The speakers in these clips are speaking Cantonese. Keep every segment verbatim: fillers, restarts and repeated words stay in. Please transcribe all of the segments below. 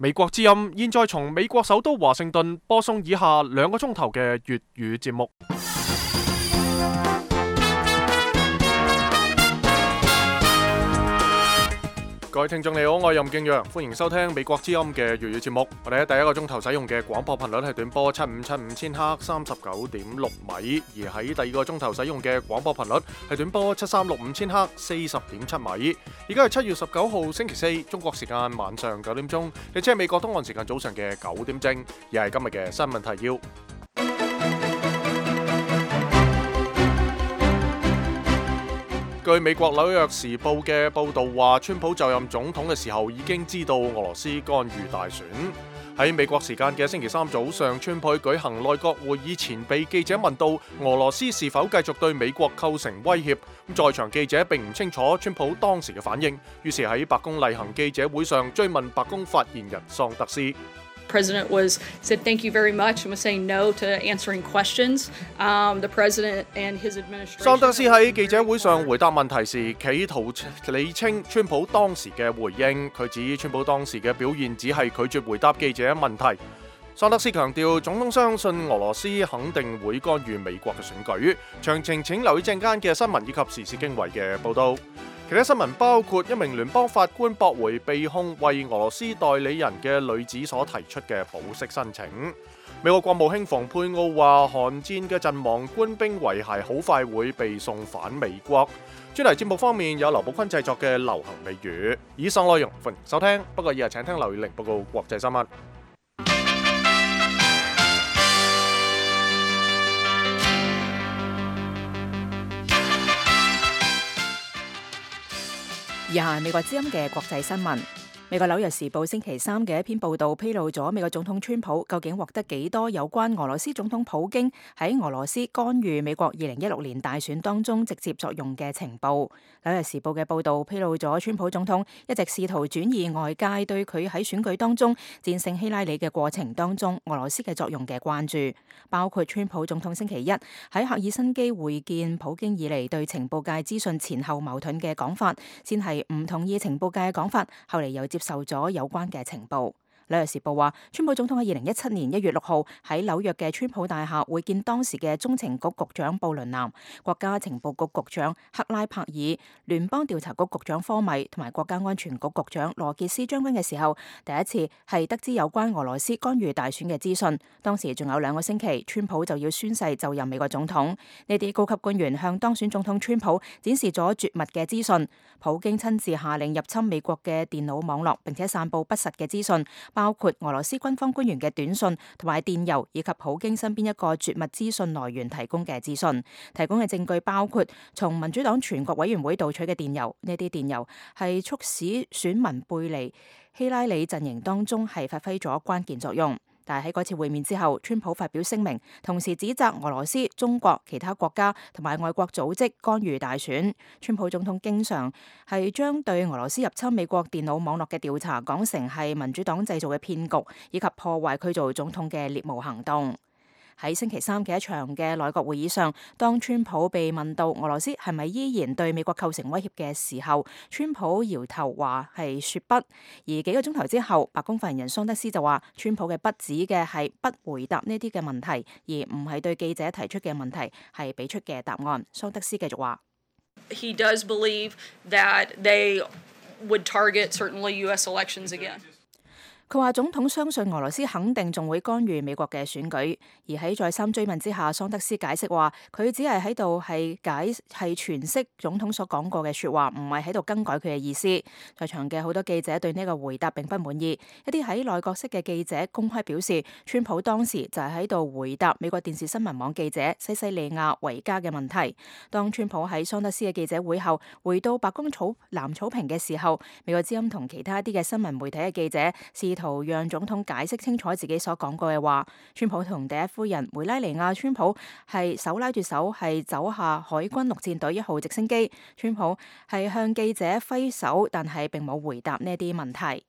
美國之音現在從美國首都華盛頓播送以下兩個鐘頭嘅粵語節目。各位聽眾你好，我係任敬陽，歡迎收聽美國之音嘅粵語節目。我哋喺第一個鐘頭使用嘅廣播頻率係短波七五七五千赫三十九點六米，而喺第二個鐘頭使用嘅廣播頻率係短波七三六五千赫四十點七米。而家係七月十九號星期四，中國時間晚上九點鐘，亦即係美國東岸時間早上嘅九點正，而係今日嘅新聞提要。據美國紐約時報嘅報導話，川普就任總統嘅時候已經知道俄羅斯干預大選。喺美國時間嘅星期三早上，川普舉行內閣會議前被記者問到俄羅斯是否繼續對美國構成威脅，在場記者並唔清楚川普當時嘅反應，於是喺白宮例行記者會上追問白宮發言人桑德斯。President was said thank you very much and was saying no to answering questions. Um, the president and his administration. 桑德斯喺記者會上回答問題時，企圖理清川普當時嘅回應。佢指川普當時嘅表現只係拒絕回答記者問題。桑德斯強調，總統相信俄羅斯肯定會干預美國嘅選舉。詳情請留意陣間嘅新聞以及時事經緯嘅報導。其他新聞包括一名聯邦法官駁回被控為俄羅斯代理人嘅女子所提出嘅保釋申請。美國國務卿蓬佩奧話，韓戰嘅陣亡官兵遺骸好快會被送返美國。專題節目方面有劉寶坤製作嘅流行美語。以上內容歡迎收聽，不過以下請聽劉宇玲報告國際新聞。以下係美國之音嘅國際新聞。美國紐約時報星期三嘅一篇報導披露咗美國總統川普究竟獲得幾多有關俄羅斯總統普京喺俄羅斯干預美國二零一六年大選當中直接作用嘅情報。紐約時報嘅報導披露咗川普總統一直試圖轉移外界對佢喺選舉當中戰勝希拉里嘅過程當中俄羅斯嘅作用嘅關注，包括川普總統星期一喺赫爾辛基會見普京以嚟對情報界資訊前後矛盾嘅講法，先係唔同意情報界嘅講法，後嚟又接受咗有關嘅情報。紐約時報話，川普總統喺二零一七年一月六號喺紐約嘅川普大廈會見當時嘅中情局局長布倫南、國家情報局局長克拉柏爾、聯邦調查局局長科米同埋國家安全局局長羅傑斯將軍嘅時候，第一次係得知有關俄羅斯干預大選嘅資訊。當時仲有兩個星期，川普就要宣誓就任美國總統。呢啲高級官員向當選總統川普展示咗絕密嘅資訊。普京親自下令入侵美國嘅電腦網絡，並且散佈不實嘅資訊，包括俄羅斯軍方官員嘅短信同埋電郵，以及普京身邊一個絕密資訊來源提供嘅資訊。提供嘅證據包括從民主黨全國委員會盜取嘅電郵，呢啲電郵係促使選民背離希拉里陣營當中係發揮咗關鍵作用。但係喺嗰次會面之後，川普發表聲明，同時指責俄羅斯、中國、其他國家同埋外國組織干預大選。川普總統經常係將對俄羅斯入侵美國電腦網絡嘅調查講成係民主黨製造嘅騙局，以及破壞佢做總統嘅獵巫行動。喺星期三嘅一場嘅內閣會議上，當川普被問到俄羅斯係咪依然對美國構成威脅嘅時候，川普搖頭話係說不。而幾個鐘頭之後，白宮發言人桑德斯就話，川普嘅不指嘅係不回答呢啲嘅問題，而唔係對記者提出嘅問題係俾出嘅答案。桑德斯繼續話 He does believe that they would target certainly U S elections again. 佢話總統相信俄羅斯肯定仲會干預美國嘅選舉，而喺再三追問之下，桑德斯解釋話佢只係喺度係解係詮釋總統所講過嘅説話，唔係喺度更改佢嘅意思。在場嘅好多記者對呢個回答並不滿意，一啲喺內閣室嘅記者公開表示，川普當時就係喺度回答美國電視新聞網記者西西利亞維加嘅問題。當川普喺桑德斯嘅記者會後回到白宮草藍草坪嘅時候，美國之音同其他一啲嘅新聞媒體嘅記者試圖讓總統解釋清楚自己所講過嘅話。川普同第一夫人梅拉尼亞川普係手拉住手係走下海軍陸戰隊一號直升機。川普係向記者揮手，但係並冇回答呢啲問題。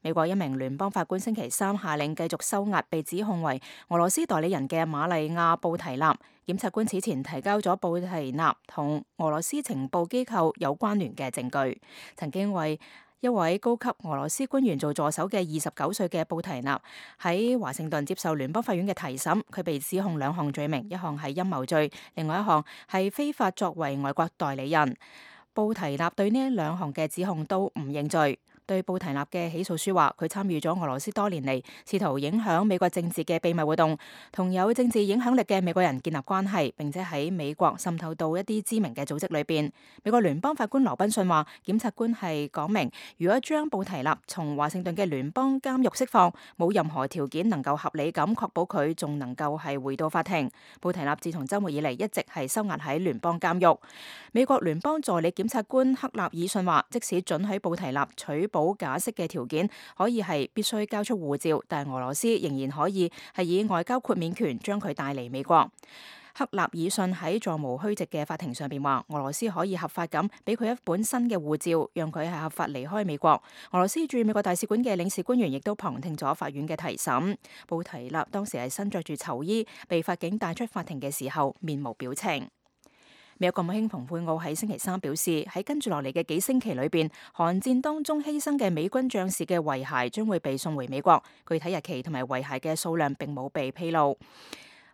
美國一名聯邦法官星期三下令繼續收押被指控為俄羅斯代理人嘅瑪麗亞布提納。檢察官此前提交咗布提納同俄羅斯情報機構有關聯嘅證據，曾經為一位高級俄羅斯官員做助手嘅二十九歲嘅布提納喺華盛頓接受聯邦法院嘅提審，佢被指控兩項罪名，一項係陰謀罪，另外一項係非法作為外國代理人。布提納對呢兩項嘅指控都唔認罪。對布提納嘅起訴書話，佢參與咗俄羅斯多年嚟，試圖影響美國政治嘅秘密活動，同有政治影響力嘅美國人建立關係，並且喺美國滲透到一啲知名嘅組織裏邊。美國聯邦法官羅賓遜話，檢察官係講明，如果將布提納從華盛頓嘅聯邦監獄釋放，冇任何條件能夠合理咁確保佢仲能夠係回到法庭。布提納自從週末以嚟一直係收押喺聯邦監獄。美國聯邦助理檢察官克納爾遜話，即使准許布提納取保假釋嘅條件可以係必須交出護照，但係俄羅斯仍然可以係以外交豁免權將佢帶嚟美國。克納爾遜喺座無虛席嘅法庭上邊話，俄羅斯可以合法咁俾佢一本新嘅護照，讓佢係合法離開美國。俄羅斯駐美國大使館嘅領事官員亦都旁聽咗法院嘅提審。布提納當時係身着住囚衣，被法警帶出法庭嘅時候面無表情。美國國務卿蓬佩奧喺星期三表示，喺跟住落嚟嘅幾星期裏邊，韓戰當中犧牲嘅美軍將士嘅遺骸將會被送回美國，具體日期同埋遺骸嘅數量並冇被披露。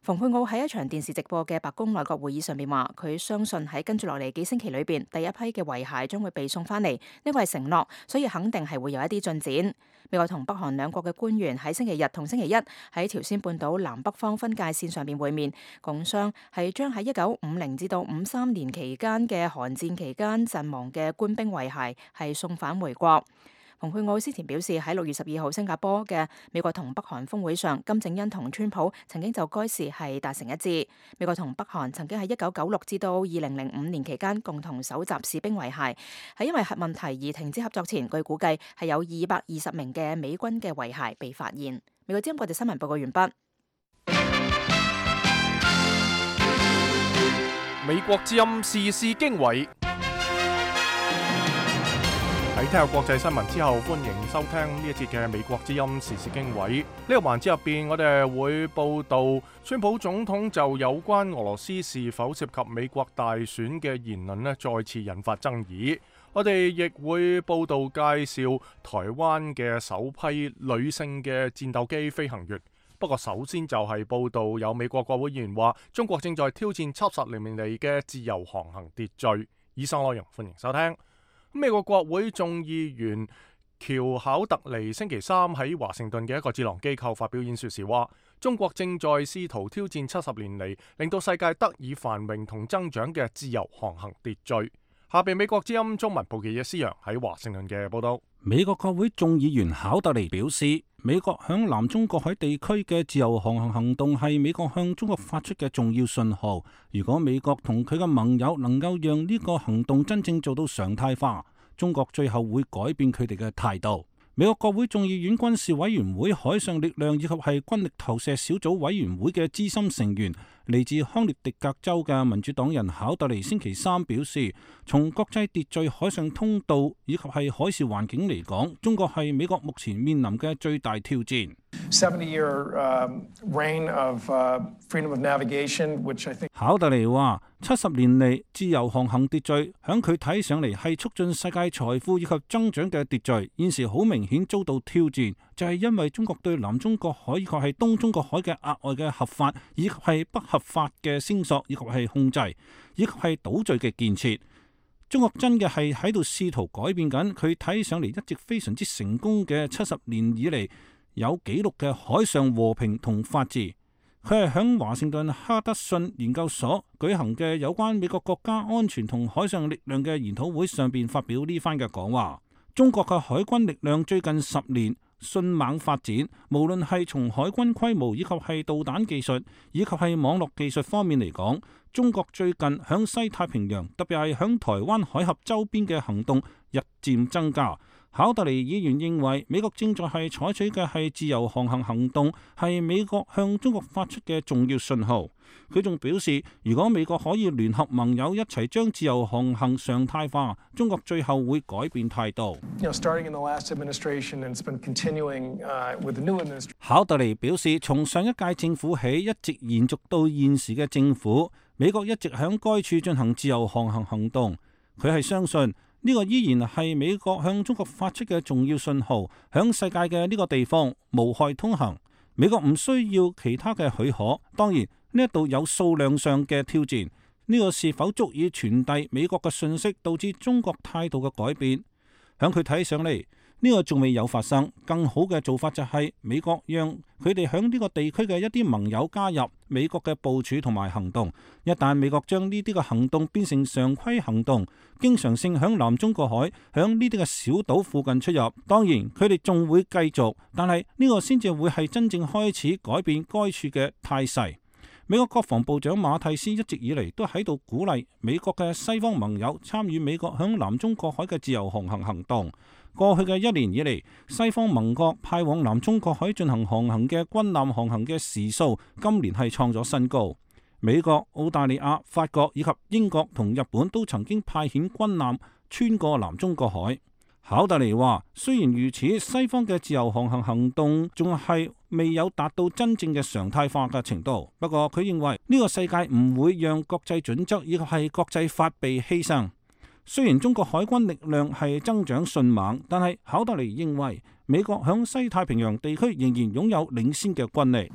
蓬佩奧喺一場電視直播嘅白宮內閣會議上面話，佢相信喺跟住落嚟幾星期裏邊，第一批嘅遺骸將會被送翻嚟，呢個係承諾，所以肯定係會有一啲進展。美國同北韓兩國嘅官員喺星期日同星期一喺朝鮮半島南北方分界線上面會面，共商係將喺一九五零至到五三年期間嘅韓戰期間陣亡嘅官兵遺骸係送返回國。蓬佩奧之前表示，喺六月十二號新加坡嘅美國同北韓峰會上，金正恩同川普曾經就該事係達成一致。美國同北韓曾經喺一九九六至到二零零五年期間共同搜集士兵遺骸，係因為核問題而停止合作前，據估計係有二百二十名嘅美軍嘅遺骸被發現。美國之音國際新聞報告完畢。美國之音時事經緯。喺聽下國際新聞之後，歡迎收聽呢一節嘅美國之音時事經緯。呢個環節入邊，我哋會報道川普總統就有關俄羅斯是否涉及美國大選嘅言論呢，再次引發爭議。我哋亦會報道介紹台灣嘅首批女性嘅戰鬥機飛行員。不過首先就係報道有美國國會議員話，中國正在挑戰七十年嚟嘅自由航行秩序。以上內容歡迎收聽。美國國會眾議員喬考特尼星期三喺華盛頓嘅一個智囊機構發表演說時話，中國正在試圖挑戰七十年嚟令到世界得以繁榮同增長嘅自由航行秩序。下邊美國之音中文部記者施洋喺華盛頓嘅報道。美國國會眾議員考特尼表示，美國響南中國海地區嘅自由航行行動係美國向中國發出嘅重要信號。如果美國同佢嘅盟友能夠讓呢個行動真正做到常態化，中國最後會改變佢哋嘅態度。美國國會眾議院軍事委員會海上力量以及係軍力投射小組委員會嘅資深成員，嚟自康涅狄格州嘅民主黨人考特尼星期三表示，從國際秩序、海上通道以及係海事環境嚟講，中國係美國目前面臨嘅最大挑戰。考特尼話：七十年嚟自由航行秩序，響佢睇上嚟係促進世界財富以及增長嘅秩序，現時好明顯遭到挑戰，就係因為中國對南中國海以及係東中國海嘅額外嘅合法以及係不合法嘅聲索以及係控制，以及係島嶼嘅建設。中國真嘅係喺度試圖改變緊佢睇上嚟一直非常之成功嘅七十年以嚟有紀錄嘅海上和平同法治。佢係響華盛頓哈德遜研究所舉行嘅有關美國國家安全同海上力量嘅研討會上邊發表呢番嘅講話。中國嘅海軍力量最近十年迅猛發展，無論係從海軍規模以及係導彈技術以及係網絡技術方面嚟講，中國最近響西太平洋，特別係響台灣海峽周邊嘅行動日漸增加。考特尼議員認為，美國正在係採取嘅係自由航行行動，係美國向中國發出嘅重要信號。佢仲表示，如果美國可以聯合盟友一齊將自由航行常態化，中國最後會改變態度。考特尼表示，從上一屆政府起，一直延續到現時嘅政府，美國一直響該處進行自由航行行動。佢係相信呢個依然係美國向中國發出嘅重要信號，響世界嘅呢個地方無害通行。美國唔需要其他嘅許可。當然呢一度有數量上嘅挑戰，呢個是否足以傳遞美國嘅信息，導致中國態度嘅改變？響佢睇上嚟，呢個仲未有發生。更好嘅做法就係美國讓佢哋響呢個地區嘅一啲盟友加入美國嘅部署同埋行動。一旦美國將呢啲嘅行動變成常規行動，經常性響南中國海、響呢啲嘅小島附近出入，當然佢哋仲會繼續，但係呢個先至會係真正開始改變該處嘅態勢。美國國防部長馬蒂斯一直以嚟都喺度鼓勵美國嘅西方盟友參與美國響南中國海嘅自由航行行動。過去嘅一年以嚟，西方盟國派往南中國海進行航行嘅軍艦航行嘅時數，今年係創咗新高。美國、澳大利亞、法國以及英國同日本都曾經派遣軍艦穿過南中國海。考特尼話：雖然如此，西方嘅自由航行行動仲係未有達到真正嘅常態化嘅程度。不過佢認為呢個世界唔會讓國際準則以及係國際法被犧牲。雖然中國海軍力量係增長迅猛，但係考特尼認為美國響西太平洋地區仍然擁有領先嘅軍力。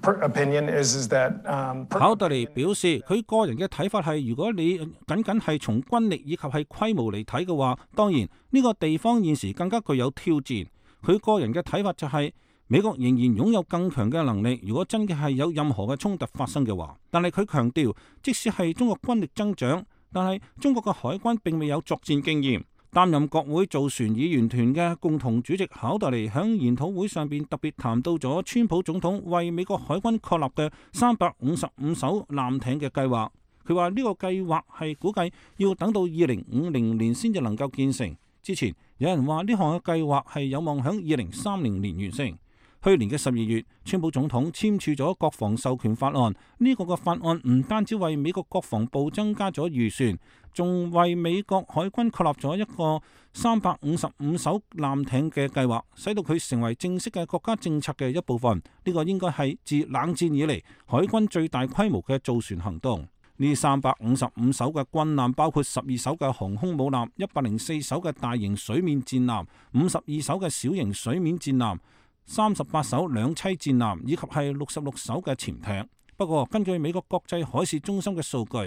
考特尼表示，佢個人嘅睇法係，如果你僅僅係從軍力以及係規模嚟睇嘅話，當然呢個地方現時更加具有挑戰。佢個人嘅睇法就係，美國仍然擁有更強嘅能力，如果真嘅係有任何嘅衝突發生嘅話。但係佢強調，即使係中國軍力增長，但係中國嘅海軍並未有作戰經驗。擔任國會造船議員團嘅共同主席考特尼喺研討會上邊特別談到咗川普總統為美國海軍確立嘅三百五十五艘艦艇嘅計劃。佢話呢個計劃係估計要等到二零五零年先至能夠建成。之前有人話呢項嘅計劃係有望喺二零三零年完成。去年嘅十二月，川普總統簽署咗國防授權法案。呢個嘅法案唔單止為美國國防部增加咗預算，仲為美國海軍確立咗一個三百五十五艘艦艇嘅計劃，使到佢成為正式嘅國家政策嘅一部分。呢個應該係自冷戰以嚟海軍最大規模嘅造船行動。呢三百五十五艘嘅軍艦包括十二艘嘅航空母艦、一百零四艘嘅大型水面戰艦、五十二艘嘅小型水面戰艦、三十八艘兩棲戰艦以及係六十六艘嘅潛艇。不過，根據美國國際海事中心嘅數據，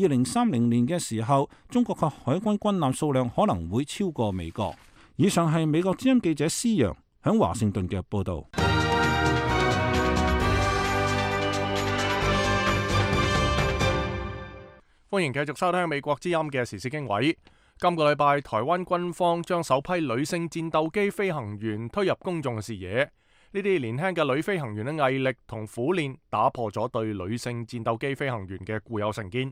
二零三零年嘅時候，中國嘅海軍軍艦數量可能會超過美國。以上係美國之音記者施洋喺華盛頓嘅報導。歡迎繼續收聽美國之音嘅時事經緯。今個禮拜，台灣軍方將首批女性戰鬥機飛行員推入公眾視野。呢啲年輕嘅女飛行員嘅毅力同苦練，打破咗對女性戰鬥機飛行員嘅固有成見。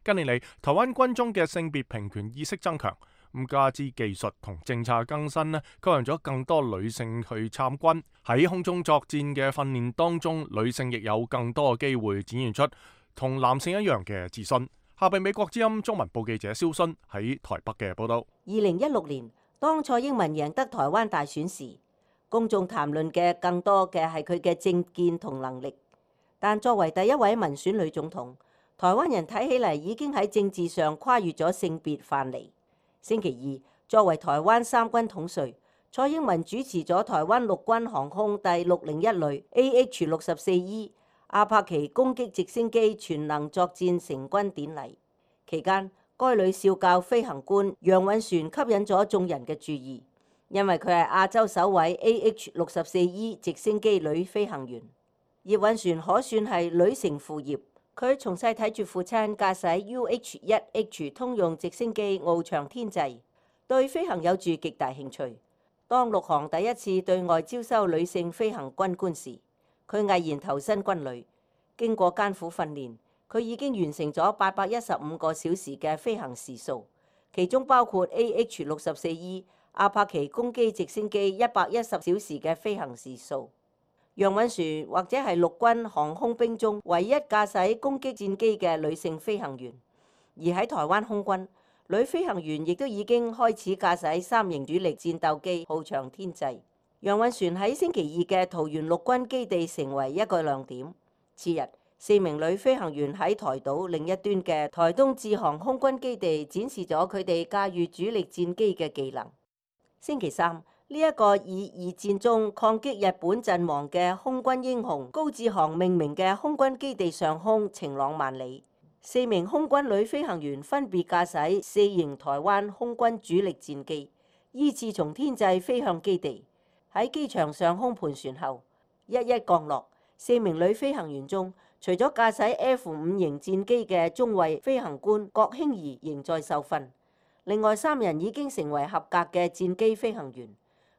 近年嚟，台灣軍中嘅性別平權意識增強，咁加之技術同政策更新呢，吸引咗更多女性去參軍。喺空中作戰嘅訓練當中，女性亦有更多嘅機會展現出同男性一樣嘅自信。下邊美國之音中文部記者蕭勳喺台北嘅報道。二零一六年，當蔡英文贏得台灣大選時，公眾談論嘅更多嘅係佢嘅政見同能力。但作為第一位民選女總統，台灣人睇起嚟已經喺政治上跨越咗性別藩籬。星期二，作為台灣三軍統帥，蔡英文主持咗台灣陸軍航空第六零一旅 A H 六十四 E。阿帕奇攻擊直升機全能作戰成軍典禮期間，該旅少校飛行官楊允璇吸引咗眾人嘅注意，因為佢係亞洲首位 A H 六十四 E 直升機女飛行員。葉允璇可算係女承父業，佢從細睇住父親駕駛 U H 一 H 通用直升機翱翔天際，對飛行有住極大興趣。當陸航第一次對外招收女性飛行軍官時，佢毅然投身軍旅，經過艱苦訓練，佢已經完成咗八百一十五個小時嘅飛行時數，其中包括 A H 六十四 E 阿帕奇攻擊直升機一百一十小時嘅飛行時數。楊允璇或者係陸軍航空兵中唯一駕駛攻擊戰機嘅女性飛行員，而喺台灣空軍，女飛行員亦都已經開始駕駛三型主力戰鬥機翱翔天際。楊允璇喺星期二嘅桃園陸軍基地成為一個亮點。次日，四名女飛行員喺台島另一端嘅台東志航空軍基地展示咗佢哋駕馭主力戰機嘅技能。星期三，呢、這、一個以二戰中抗擊日本陣亡嘅空軍英雄高志航命名嘅空軍基地上空晴朗萬里。四名空軍女飛行員分別駕駛四型台灣空軍主力戰機，依次從天際飛向基地。喺機場上空盤旋後，一一降落。四名女飛行員中，除咗駕駛 F 五型戰機嘅中尉飛行官郭興儀仍在受訓，另外三人已經成為合格嘅戰機飛行員。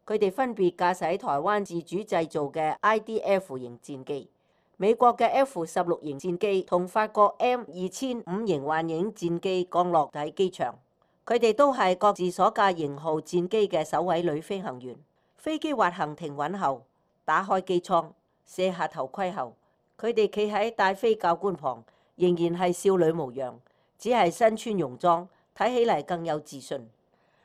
佢哋分別駕駛台灣自主製造嘅 I D F 型戰機、美國嘅 F 十六型戰機同法國 M 二千五型幻影戰機降落喺機場。佢哋都係各自所駕型號戰機嘅首位女飛行員。飛機滑行停穩後，打開機艙，卸下頭盔後，佢哋企喺戴飛教官旁，仍然係少女模樣，只係身穿泳裝，睇起嚟更有自信。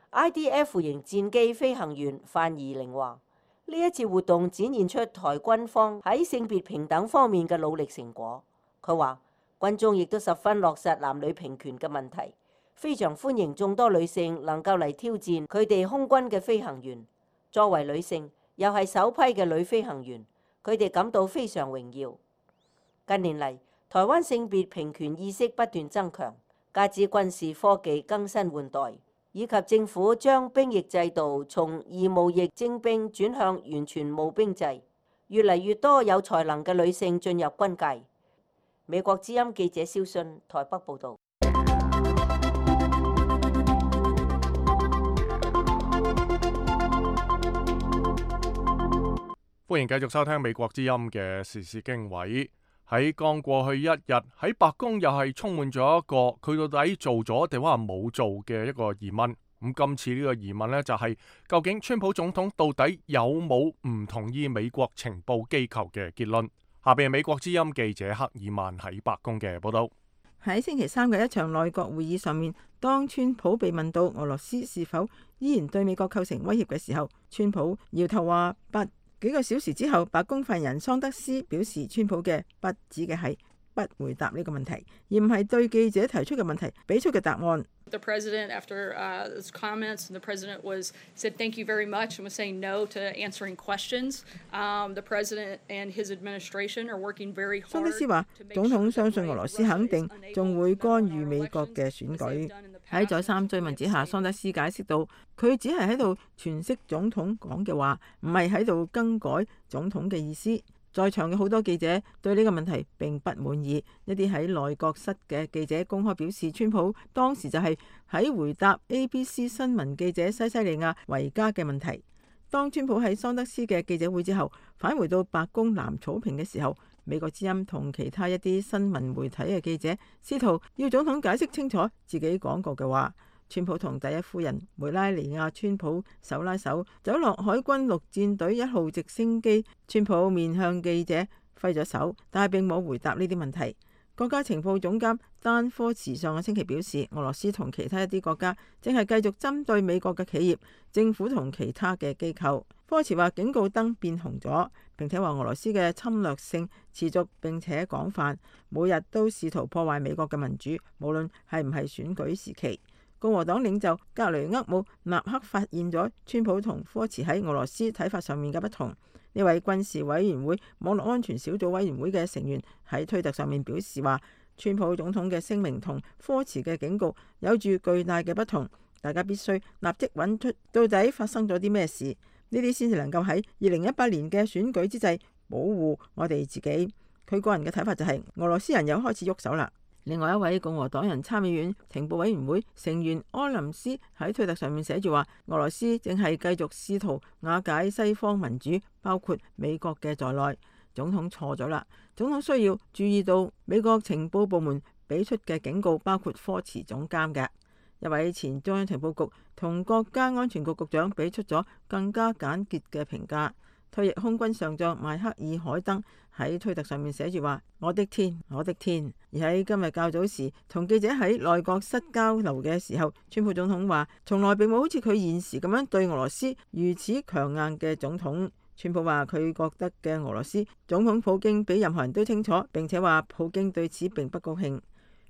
I D F 型戰機飛行員范怡玲話：呢一次活動展現出台軍方喺性別平等方面嘅努力成果。佢話軍中亦都十分落實男女平權嘅問題，非常歡迎眾多女性能夠嚟挑戰佢哋空軍嘅飛行員。作為女性，又係首批嘅女飛行員，佢哋感到非常榮耀。近年嚟，台灣性別平權意識不斷增強，加之軍事科技更新換代，以及政府將兵役制度從義務役徵兵轉向完全募兵制，越嚟越多有才能嘅女性進入軍界。美國之音記者蕭信台北報導。歡迎繼續收聽美國之音嘅時事經緯。喺剛過去一日，喺白宮又係充滿咗一個佢到底做咗定話冇做嘅一個疑問。咁今次呢個疑問呢，就係、是、究竟川普總統到底有冇唔同意美國情報機構嘅結論？下邊係美國之音記者克爾曼喺白宮嘅報道。喺星期三嘅一場內閣會議上面，當川普被問到俄羅斯是否依然對美國構成威脅嘅時候，川普搖頭話不。幾個小時之後，白宮發言人桑德斯表示，川普嘅不指嘅係不回答呢個問題，而唔係對記者提出嘅問題俾出嘅答案。The president, after uh, his comments, the president was said thank you very much and was saying no to answering questions. Um, the president and his administration are working very hard. 桑德斯話：總統相信俄羅斯肯定仲會干預美國嘅選舉。喺再三追問之下，桑德斯解釋到，佢只係喺度詮釋總統講嘅話，唔係喺度更改總統嘅意思。在場嘅好多記者對呢個問題並不滿意，一啲喺內閣室嘅記者公開表示，川普當時就係喺回答 A B C 新聞記者西西利亞維加嘅問題。當川普喺桑德斯嘅記者會之後返回到白宮藍草坪嘅時候，美國之音同其他一啲新聞媒體嘅記者試圖要總統解釋清楚自己講過嘅話。川普同第一夫人梅拉尼亞川普手拉手走落海軍陸戰隊一號直升機，川普面向記者揮咗手，但係並冇回答呢啲問題。國家情報總監丹科茨上個星期表示，俄羅斯同其他一啲國家正係繼續針對美國嘅企業、政府同其他嘅機構。科茨話警告燈變紅咗，並且話俄羅斯嘅侵略性持續並且廣泛，每日都試圖破壞美國嘅民主，無論係唔係選舉時期。共和黨領袖格雷厄姆納克發現咗川普同科茨喺俄羅斯睇法上面嘅不同。呢位軍事委員會網絡安全小組委員會嘅成員喺推特上面表示話，川普總統嘅聲明同科茨嘅警告有住巨大嘅不同，大家必須立即揾出到底發生咗啲咩事，呢啲先至能夠喺二零一八年嘅選舉之際保護我哋自己。佢個人嘅睇法就係、是、俄羅斯人又開始喐手啦。另外一位共和黨人參議院情報委員會成員柯林斯喺推特上面寫住話，俄羅斯正係繼續試圖瓦解西方民主，包括美國嘅在內。總統錯咗啦，總統需要注意到美國情報部門俾出嘅警告，包括科茨總監嘅一位前中央情報局同國家安全局局長俾出咗更加簡潔嘅評價。退役空軍上將邁克爾海登喺推特上面寫住話：我的天，我的天！而喺今日較早時同記者喺內閣室交流嘅時候，川普總統話：從來並冇好似佢現時咁樣對俄羅斯如此強硬嘅總統。川普話佢覺得嘅俄羅斯總統普京比任何人都清楚，並且話普京對此並不高興。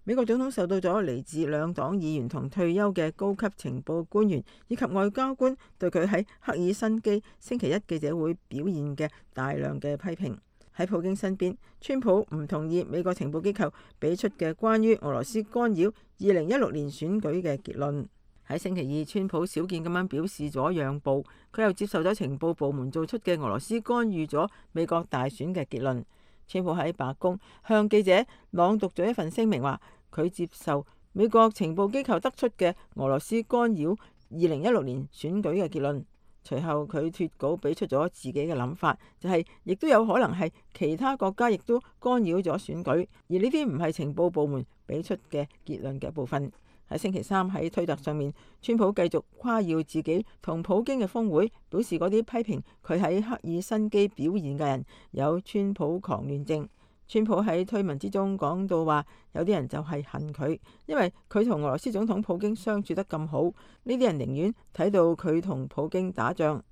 美國總統受到咗嚟自兩黨議員同退休嘅高級情報官員以及外交官對佢喺赫爾辛基星期一記者會表現嘅大量嘅批評。喺普京身邊，川普唔同意美國情報機構俾出嘅關於俄羅斯干擾二零一六年選舉嘅結論。喺星期二，川普少見咁樣表示咗讓步，佢又接受咗情報部門做出嘅俄羅斯干預咗美國大選嘅結論。川普喺白宮向記者朗讀咗一份聲明，話佢接受美國情報機構得出嘅俄羅斯干擾二零一六年選舉嘅結論。隨後佢脫稿俾出咗自己嘅諗法，就係、是、亦都有可能係其他國家亦都干擾咗選舉，而呢啲唔係情報部門俾出嘅結論嘅一部分。喺星期三喺推特上面，川普繼續誇耀自己同普京嘅峰會，表示嗰啲批評佢喺赫爾辛基表現嘅人有川普狂亂症。川普喺推文之中講到話，有啲人就係恨佢，因為佢同俄羅斯總統普京相處得咁好，呢啲人寧願睇到佢同普京打仗。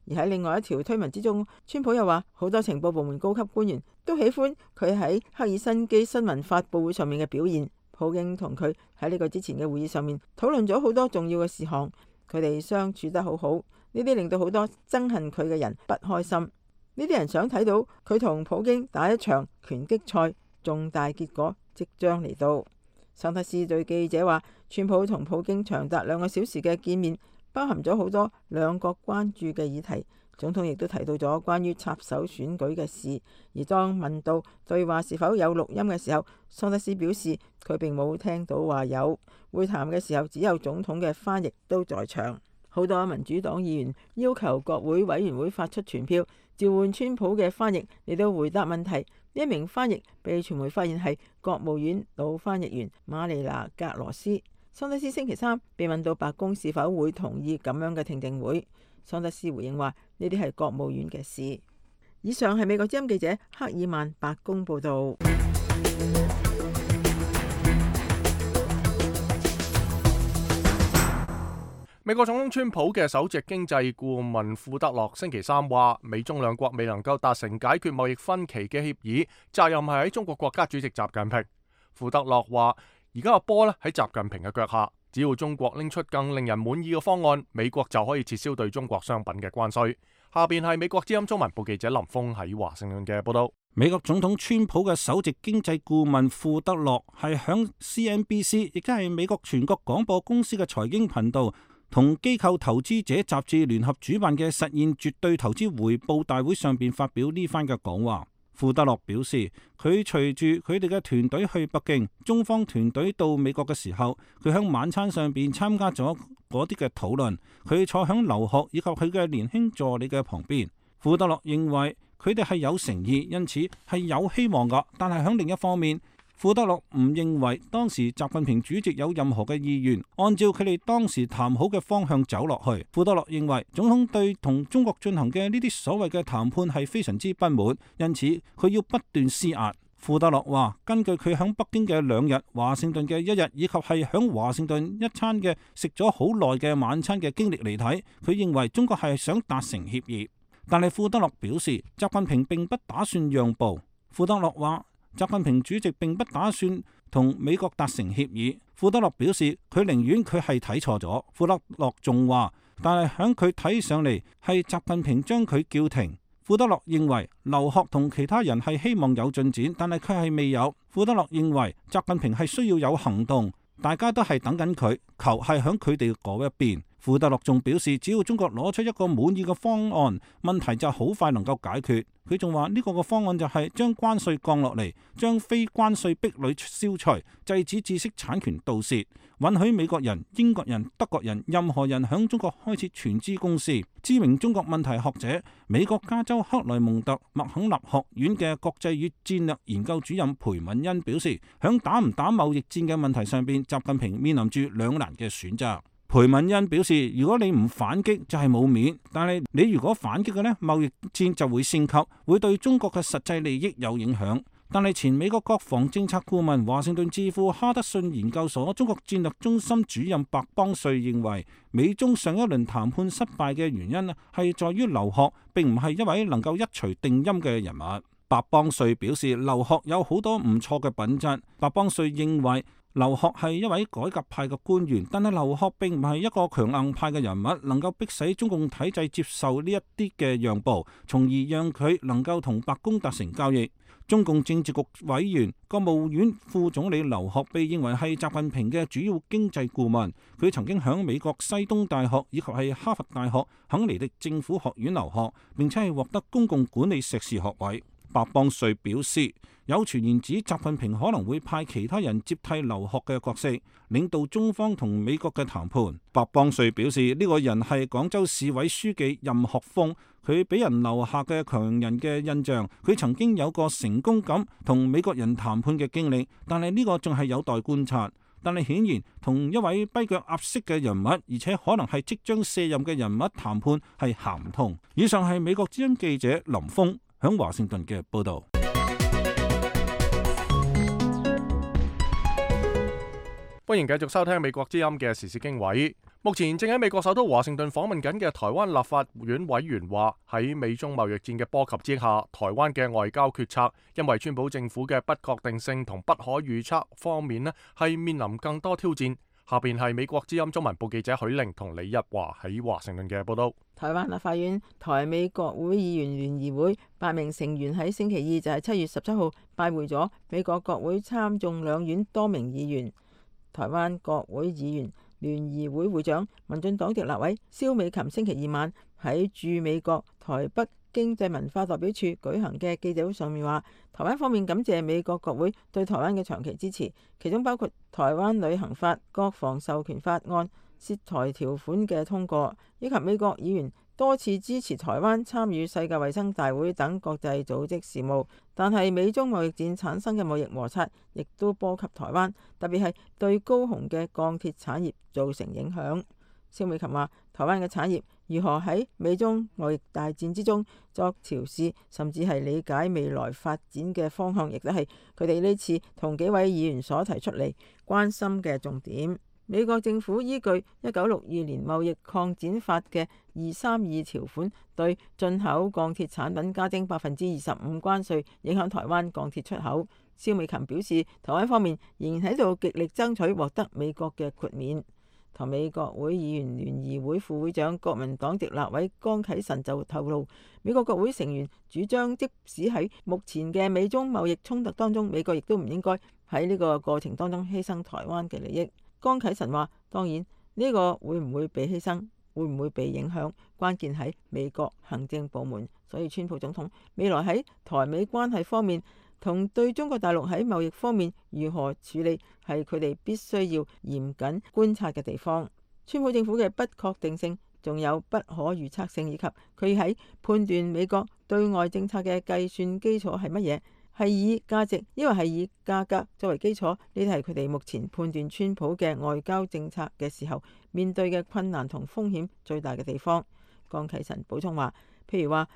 而喺另外一條推文之中，川普又話好多情報部門高級官員都喜歡佢喺赫爾辛基新聞發佈會上面嘅表現。普京同佢喺呢個之前嘅會議上面討論咗好多重要嘅事項，佢哋相處得好好，呢啲令到好多憎恨佢嘅人不開心。呢啲人想睇到佢同普京打一場拳擊賽，重大結果即將嚟到。桑德斯對記者話，川普同普京長達兩個小時嘅見面，包含咗好多兩國關注嘅議題。總統亦都提到咗關於插手選舉嘅事，而當問到對話是否有錄音嘅時候，桑德斯表示佢並冇聽到話有。會談嘅時候只有總統嘅翻譯都在場。好多民主黨議員要求國會委員會發出傳票，召喚川普嘅翻譯嚟到回答問題。呢一名翻譯被傳媒發現係國務院老翻譯員瑪麗娜格羅斯。桑德斯星期三被問到白宮是否會同意咁樣嘅聽證會，桑德斯回應話呢啲係國務院嘅事。以上係美國之音記者克爾曼白宮報道。美國總統川普嘅首席經濟顧問庫德洛星期三話，美中兩國未能夠達成解決貿易分歧嘅協議，責任係喺中國國家主席習近平。庫德洛話，而家個波咧喺習近平嘅腳下，只要中國拎出更令人滿意嘅方案，美國就可以撤銷對中國商品嘅關稅。下邊係美國之音中文部記者林峰喺華盛頓嘅報道。美國總統川普嘅首席經濟顧問庫德洛係響 C N B C， 亦即係美國全國廣播公司嘅財經頻道，同機構投資者雜誌聯合主辦嘅實現絕對投資回報大會上邊發表呢番嘅講話。庫德洛表示，佢隨住佢哋嘅團隊去北京，中方團隊到美國嘅時候，佢喺晚餐上邊參加咗嗰啲嘅討論。佢坐響劉鶴以及佢嘅年輕助理嘅旁邊。庫德洛認為佢哋係有誠意，因此係有希望噶。但係喺另一方面，庫德洛唔認為當時習近平主席有任何嘅意願按照佢哋當時談好嘅方向走落去。庫德洛認為總統對同中國進行嘅呢啲所謂嘅談判係非常之不滿，因此佢要不斷施壓。庫德洛話，根據佢響北京嘅兩日、華盛頓嘅一日，以及係響華盛頓一餐嘅食咗好耐嘅晚餐嘅經歷嚟睇，佢認為中國係想達成協議。但係庫德洛表示，習近平並不打算讓步。庫德洛話，習近平主席並不打算同美國達成協議。庫德洛表示，佢寧願佢係睇錯咗。庫德洛仲話，但係響佢睇上嚟係習近平將佢叫停。庫德洛認為劉鶴同其他人係希望有進展，但係佢係未有。庫德洛認為習近平係需要有行動，大家都係等緊佢，球係響佢哋嗰一邊。庫德洛仲表示，只要中國攞出一個滿意嘅方案，問題就好快能夠解決。佢仲話呢個嘅方案就係將關稅降落嚟，將非關稅壁壘消除，制止知識產權盜竊，允許美國人、英國人、德國人任何人響中國開設全資公司。知名中國問題學者、美國加州克萊蒙特麥肯納學院嘅國際與戰略研究主任裴敏恩表示，響打唔打貿易戰嘅問題上邊，習近平面臨住兩難嘅選擇。裴敏恩表示，如果你唔反擊就係冇面，但係你如果反擊嘅呢，貿易戰就會升級，會對中國嘅實際利益有影響。但係前美國國防政策顧問、華盛頓智庫哈德遜研究所中國戰略中心主任白邦瑞認為，美中上一輪談判失敗嘅原因係在於劉鶴並唔係一位能夠一錘定音嘅人物。白邦瑞表示，劉鶴有好多唔錯嘅品質。白邦瑞認為劉鶴係一位改革派嘅官員，但係劉鶴並唔係一個強硬派嘅人物，能夠迫使中共體制接受呢一啲嘅讓步，從而讓佢能夠同白宮達成交易。中共政治局委員、國務院副總理劉鶴被認為係習近平嘅主要經濟顧問，佢曾經響美國西東大學以及係哈佛大學肯尼迪政府學院留學，並且係獲得公共管理碩士學位。白邦瑞表示，有傳言指習近平可能會派其他人接替劉鶴嘅角色，領導中方同美國嘅談判。白邦瑞表示，呢、這個人係廣州市委書記任學峰，佢俾人留下嘅強人嘅印象。佢曾經有過成功咁同美國人談判嘅經歷，但係呢個仲係有待觀察。但係顯然，同一位跛腳鴨式嘅人物，而且可能係即將卸任嘅人物談判係行唔通。以上係美國之音記者林峰響華盛頓嘅報道。歡迎繼續收聽美國之音嘅時事經緯。目前正喺美國首都華盛頓訪問緊嘅台灣立法院委員話，喺美中貿易戰嘅波及之下，台灣嘅外交決策因為川普政府嘅不確定性同不可預測方面呢，係面臨更多挑戰。下邊係美國之音中文部記者許玲同李日華喺華盛頓嘅報道。台灣立法院台美國會議員聯誼會八名成員喺星期二就係七月十七號拜會咗美國國會參眾兩院多名議員。台灣國會議員聯誼會會長民進黨籍立委蕭美琴星期二晚喺駐美國台北經濟文化代表處舉行嘅記者會上面話，台灣方面感謝美國國會對台灣嘅長期支持，其中包括台灣旅行法、國防授權法案、涉台條款嘅通過，以及美國議員多次支持台灣參與世界衛生大會等國際組織事務。但係美中貿易戰產生嘅貿易摩擦亦都波及台灣，特別係對高雄嘅鋼鐵產業造成影響。蕭美琴話，台灣嘅產業如何喺美中貿易大戰之中作調試，甚至係理解未來發展嘅方向，亦都係佢哋呢次同幾位議員所提出嚟關心嘅重點。美國政府依據一九六二年貿易擴展法嘅二三二條款，對進口鋼鐵產品加徵百分之二十五關稅，影響台灣鋼鐵出口。蕭美琴表示，台灣方面仍然喺度極力爭取獲得美國嘅豁免。台美國會議員聯誼會副會長國民黨籍立委江啟臣就透露，美國國會成員主張，即使喺目前嘅美中貿易衝突當中，美國亦都唔應該喺呢個過程當中犧牲台灣嘅利益。江啟臣話，當然呢個會唔會被犧牲，會唔會被影響，關鍵喺美國行政部門。所以川普總統未來喺台美關係方面同對中國大陸喺貿易方面如何處理，係佢哋必須要嚴謹觀察嘅地方。川普政府嘅不確定性，仲有不可預測性，以及佢喺判斷美國對外政策嘅計算基礎係乜嘢，係以價值，抑或係以價格作為基礎，呢啲係佢哋目前判斷川普嘅外交政策嘅時候面對嘅困難同風險最大嘅地方。江啟臣補充話，譬如話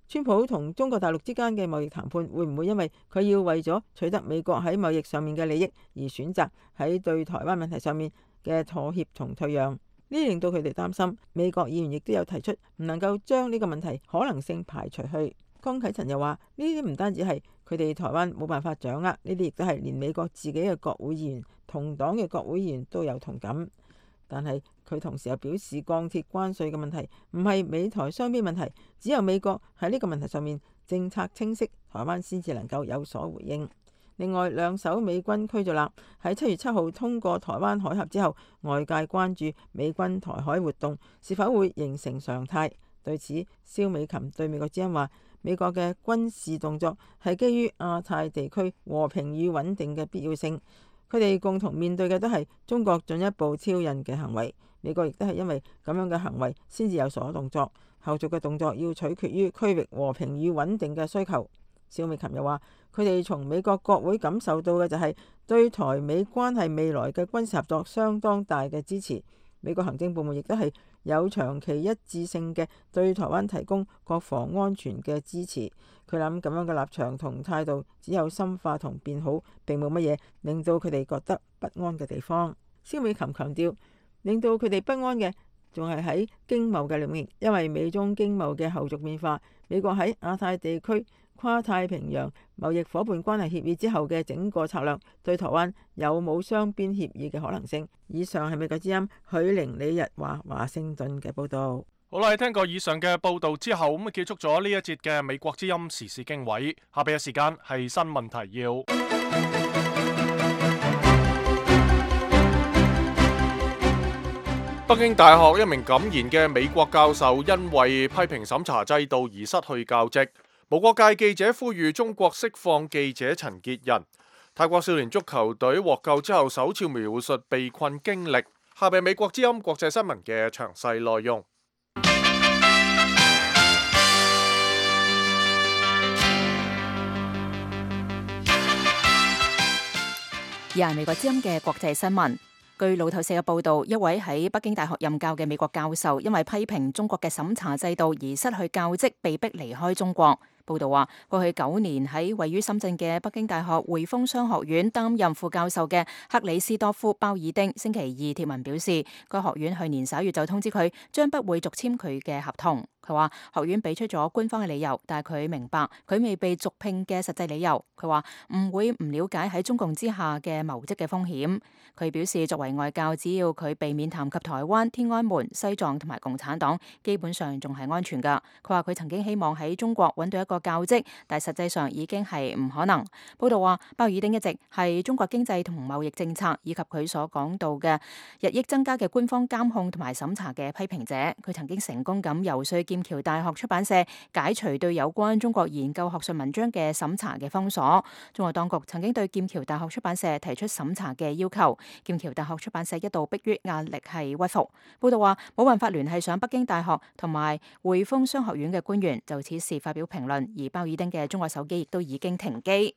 川普同中國大陸之間嘅貿易談判，會唔會因為佢要為咗取得美國喺貿易上面嘅利益而選擇喺對台灣問題上面嘅妥協同退讓？呢令到佢哋擔心。美國議員亦都有提出唔能夠將呢個問題可能性排除去。江啟臣又話，呢啲唔單止係佢哋台灣冇辦法掌握，呢啲亦都係連美國自己嘅國會議員、同黨嘅國會議員都有同感。但係佢同時又表示，鋼鐵關稅嘅問題唔係美台雙邊問題，只有美國喺呢個問題上面政策清晰，台灣先至能夠有所回應。另外，兩艘美軍驅逐艦喺七月七號通過台灣海峽之後，外界關注美軍台海活動是否會形成常態。對此，蕭美琴對美國之音話，美國嘅軍事動作係基於亞太地區和平與穩定嘅必要性。佢哋共同面對嘅都係中國進一步挑釁嘅行為，美國亦都係因為咁樣嘅行為先至有所動作，後續嘅動作要取決於區域和平與穩定嘅需求。蕭美琴又話，佢哋從美國國會感受到嘅就係對台美關係未來嘅軍事合作相當大嘅支持。美國行政部門亦都係有長期一致性嘅對台灣提供國防安全嘅支持。佢諗咁樣嘅立場同態度只有深化同變好，並冇乜嘢令到佢哋覺得不安嘅地方。蕭美琴強調，令到佢哋不安嘅仲係喺經貿嘅領域，因為美中經貿嘅後續變化，美國喺亞太地區跨太平洋貿易夥伴關係協議之後嘅整個策略，對台灣有冇雙邊協議嘅可能性。以上係美國之音許玲李日華華盛頓嘅報道。好啦，聽過以上嘅報道之後，咁啊結束咗呢一節嘅美國之音時事經緯。下邊嘅時間係新聞提要。北京大學一名敢言嘅美國教授因為批評審查制度而失去教職。無國界記者呼籲中國釋放記者陳潔仁。泰國少年足球隊獲救之後首次描述被困經歷。下邊美國之音國際新聞嘅詳細內容。而係美國之音嘅國際新聞。據路透社嘅報導，一位喺北京大學任教嘅美國教授，因為批評中國嘅審查制度而失去教職，被逼離開中國。報道話，過去九年喺位於深圳嘅北京大學匯豐商學院擔任副教授嘅克里斯多夫鮑爾丁星期二貼文表示，該學院去年十一月就通知佢將不會續簽佢嘅合同。佢話學院俾出咗官方嘅理由，但係佢明白佢未被續聘嘅實際理由。佢話唔會唔了解喺中共之下嘅謀職嘅風險。佢表示，作為外教，只要佢避免談及台灣、天安門、西藏同埋共產黨，基本上仲係安全㗎。佢話佢曾經希望喺中國揾到一個教職，但係實際上已經係唔可能。報道話，鮑爾丁一直係中國經濟同貿易政策以及佢所講到嘅日益增加嘅官方監控同埋審查嘅批評者。佢曾經成功咁游說劍橋大學出版社解除對有關中國研究學術文章嘅審查嘅封鎖。中國當局曾經對劍橋大學出版社提出審查嘅要求，劍橋大學出版社一度迫於壓力係屈服。報道話冇辦法聯繫上北京大學同埋匯豐商學院嘅官員就此事發表評論，而鮑爾丁嘅中國手機亦都已經停機。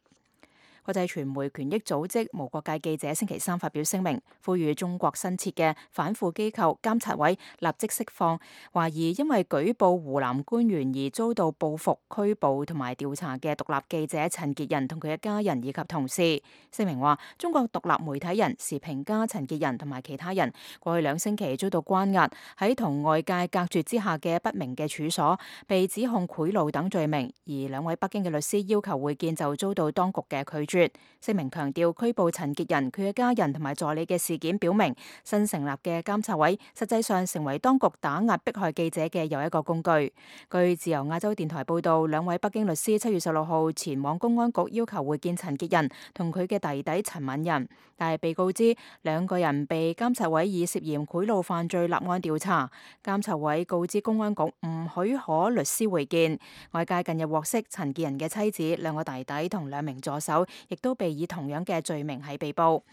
國際傳媒權益組織無國界記者星期三發表聲明，呼籲中國新設嘅反腐機構監察委立即釋放懷疑因為舉報湖南官員而遭到報復、拘捕同埋調查嘅獨立記者陳潔仁同佢嘅家人以及同事。聲明話，中國獨立媒體人時評家陳潔仁同埋其他人過去兩星期遭到關押，喺同外界隔絕之下嘅不明嘅處所，被指控賄賂等罪名，而兩位北京嘅律師要求會見就遭到當局嘅拒絕。聲明強調，拘捕陳潔仁、佢嘅家人同埋助理嘅事件表明，新成立嘅監察委實際上成為當局打壓迫害記者嘅又一個工具。據自由亞洲電台報道，兩位北京律師七月十六號前往公安局要求會見陳潔仁同佢嘅弟弟陳敏仁，但係被告知兩個人被監察委以涉嫌賄賂犯罪立案調查。監察委告知公安局唔許可律師會見。外界近日獲悉，陳潔仁嘅妻子、兩個弟弟同兩名助手亦都被以同樣嘅罪名係被捕。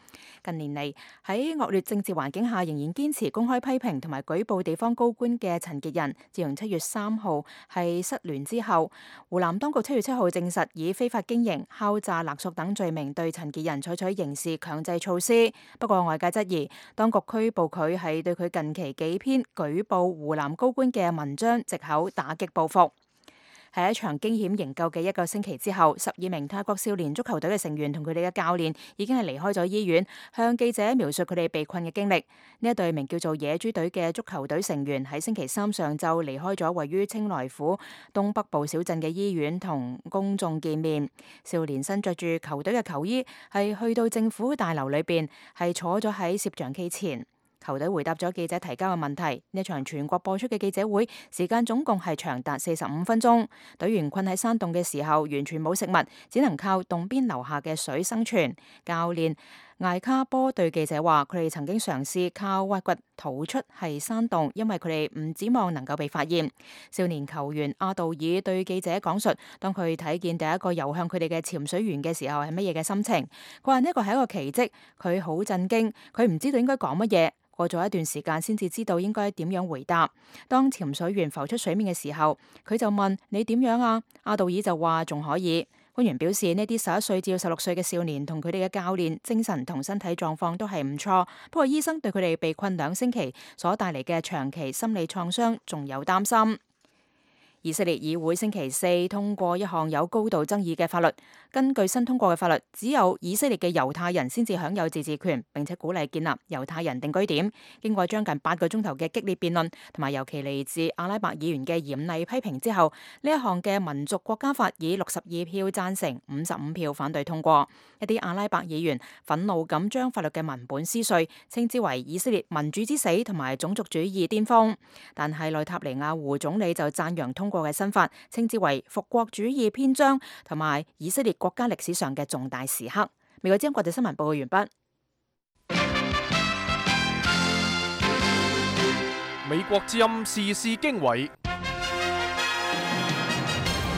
近年嚟喺惡劣政治環境下，仍然堅持公開批評同埋舉報地方高官嘅陳潔仁，自從七月三號係失聯之後，湖南當局七月七號證實以非法經營、敲詐勒索等罪名對陳潔仁採取刑事強制措施。不過外界質疑，當局拘捕佢係對佢近期幾篇舉報湖南高官嘅文章藉口打擊報復。喺一場驚險營救嘅一個星期之後，十二名泰國少年足球隊嘅成員同佢哋嘅教練已經係離開咗醫院，向記者描述佢哋被困嘅經歷。呢一隊名叫做野豬隊嘅足球隊成員喺星期三上晝離開咗位於清萊府東北部小鎮嘅醫院，同公眾見面。少年身着住球隊嘅球衣，係去到政府大樓裏邊，係坐咗喺攝像機前。球隊回答咗記者提交嘅問題。呢場全國播出嘅記者會時間總共係長達四十五分鐘。隊員困喺山洞嘅時候，完全冇食物，只能靠洞邊流下嘅水生存。教練艾卡波對記者話：佢哋曾經嘗試靠挖掘逃出係山洞，因為佢哋唔指望能夠被發現。少年球員阿道爾對記者講述，當佢睇見第一個游向佢哋嘅潛水員嘅時候係乜嘢嘅心情。佢話呢個係一個奇蹟，佢好震驚，佢唔知道應該講乜嘢。過咗一段時間先至知道應該點樣回答。當潛水員浮出水面嘅時候，佢就問：你點樣啊？阿道爾就話仲可以。官員表示，呢啲十一歲至十六歲嘅少年同佢哋嘅教練精神同身體狀況都係唔錯，不過醫生對佢哋被困兩星期所帶嚟嘅長期心理創傷仲有擔心。以色列議會星期四通過一項有高度爭議嘅法律，根據新通過嘅法律，只有以色列嘅猶太人先至享有自治權，並且鼓勵建立猶太人定居點。經過將近八個鐘頭嘅激烈辯論，同埋尤其嚟自阿拉伯議員嘅嚴厲批評之後，呢一項嘅民族國家法以六十二票贊成、五十五票反對通過。一啲阿拉伯議員憤怒咁將法律嘅文本撕碎，稱之為以色列民主之死同埋種族主義巔峰。但係內塔尼亞胡總理就讚揚通過嘅新法，稱之為復國主義篇章同埋以色列國家歷史上嘅重大時刻。美國之音國際新聞報告完畢。美國之音時事經緯。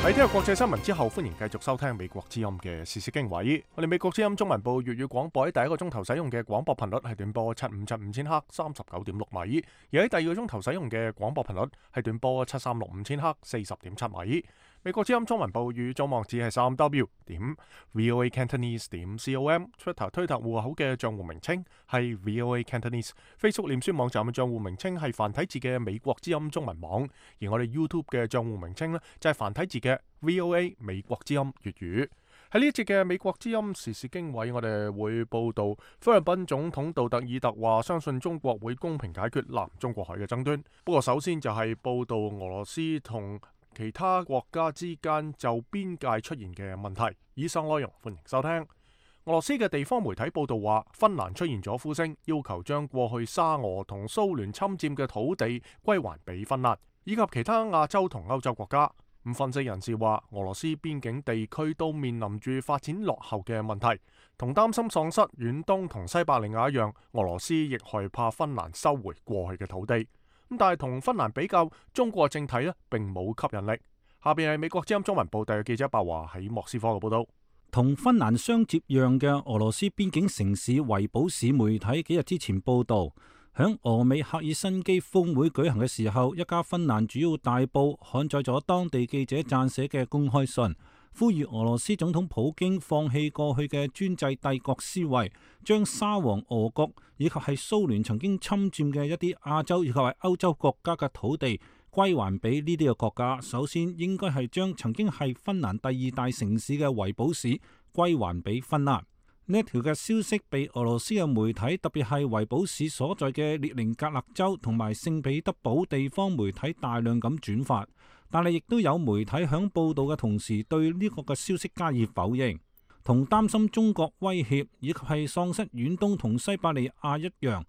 喺聽日國際新聞之後，歡迎繼續收聽美國之音嘅時事經緯。我哋美國之音中文部粵語廣播喺第一個鐘頭使用嘅廣播頻率係短波七五七五千赫三十九點六米，而喺第二個鐘頭使用嘅廣播頻率係短波七三六五千赫四十點七米。美國之音中文部語總網址係三 W 點 VOA Cantonese 點 com，Twitter 推特戶口嘅賬戶名稱係 VOA Cantonese，Facebook 臉書網站嘅賬戶名稱係繁體字嘅美國之音中文網，而我哋 YouTube 嘅賬戶名稱呢，就係繁體字嘅 VOA 美國之音粵語。喺呢一節嘅美國之音時事經緯，我哋會報道菲律賓總統杜特爾特話相信中國會公平解決南中國海嘅爭端。不過首先就係報道俄羅斯同其他國家之間就邊界出現嘅問題。以上內容歡迎收聽。俄羅斯嘅地方媒體報道話，芬蘭出現咗呼聲，要求將過去沙俄同蘇聯侵佔嘅土地歸還俾芬蘭，以及其他亞洲同歐洲國家。咁分析人士話，俄羅斯邊境地區都面臨住發展落後嘅問題，同擔心喪失遠東同西伯利亞一樣，俄羅斯亦害怕芬蘭收回過去嘅土地。咁但係同芬蘭比較，中國政體呢並冇吸引力。下邊係美國之音中文部特約記者白華喺莫斯科嘅報道。同芬蘭相接壤嘅俄羅斯邊境城市維堡市媒體幾日之前報道，響俄美赫爾辛基峰會舉行嘅時候，一家芬蘭主要大報刊載咗當地記者撰寫嘅公開信，呼籲俄羅斯總統普京放棄過去嘅專制帝國思維，將沙皇俄國以及係蘇聯曾經侵佔嘅一啲亞洲以及係歐洲國家嘅土地歸還俾呢啲嘅國家。首先應該係將曾經係芬蘭第二大城市嘅維堡市歸還俾芬蘭。呢一條嘅消息被俄羅斯嘅媒體，特別係維堡市所在嘅列寧格勒州同埋聖彼得堡地方媒體大量咁轉發，但係亦都有媒體響報道嘅同時對呢個嘅消息加以否認。同擔心中國威脅以及係喪失遠東同西伯利亞一樣，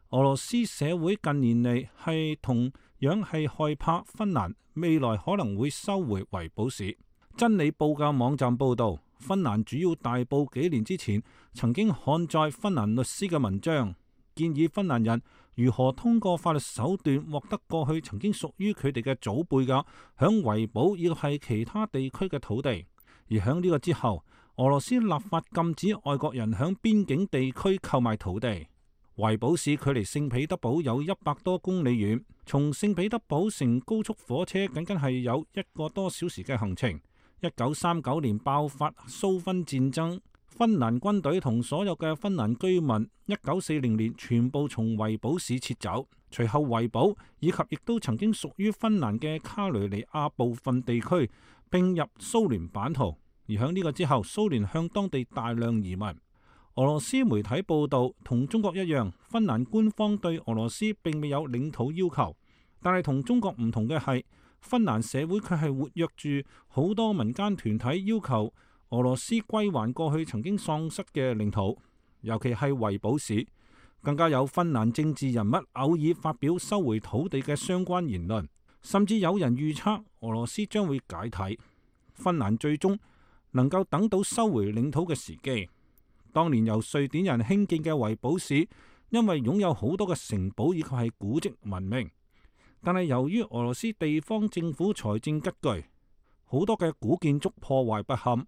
俄羅斯社會近年嚟係同樣係害怕芬蘭未來可能會收回維堡市。真理報嘅網站報道，芬蘭主要大報幾年之前曾經刊載芬蘭律師嘅文章，建議芬蘭人如何通過法律手段獲得過去曾經屬於佢哋嘅祖輩嘅響維堡以及係其他地區嘅土地。而響呢個之後，俄羅斯立法禁止外國人響邊境地區購買土地。維堡市距離聖彼得堡有一百多公里遠，從聖彼得堡乘高速火車僅僅係有一個多小時嘅行程。一九三九年爆發蘇芬戰爭，芬蘭軍隊同所有嘅芬蘭居民一九四零年全部從維堡市撤走。隨後維堡以及亦都曾經屬於芬蘭嘅卡雷尼亞部分地區並入蘇聯版圖。而響呢個之後，蘇聯向當地大量移民。俄羅斯媒體報道，同中國一樣，芬蘭官方對俄羅斯並未有領土要求，但係同中國唔同嘅係，芬蘭社會卻係活躍住好多民間團體要求俄羅斯歸還過去曾經喪失嘅領土，尤其係維堡市。更加有芬蘭政治人物偶爾發表收回土地嘅相關言論，甚至有人預測俄羅斯將會解體，芬蘭最終能夠等到收回領土嘅時機。當年由瑞典人興建嘅維堡市，因為擁有好多嘅城堡以及係古蹟聞名，但係由於俄羅斯地方政府財政拮據，好多嘅古建築破壞不堪。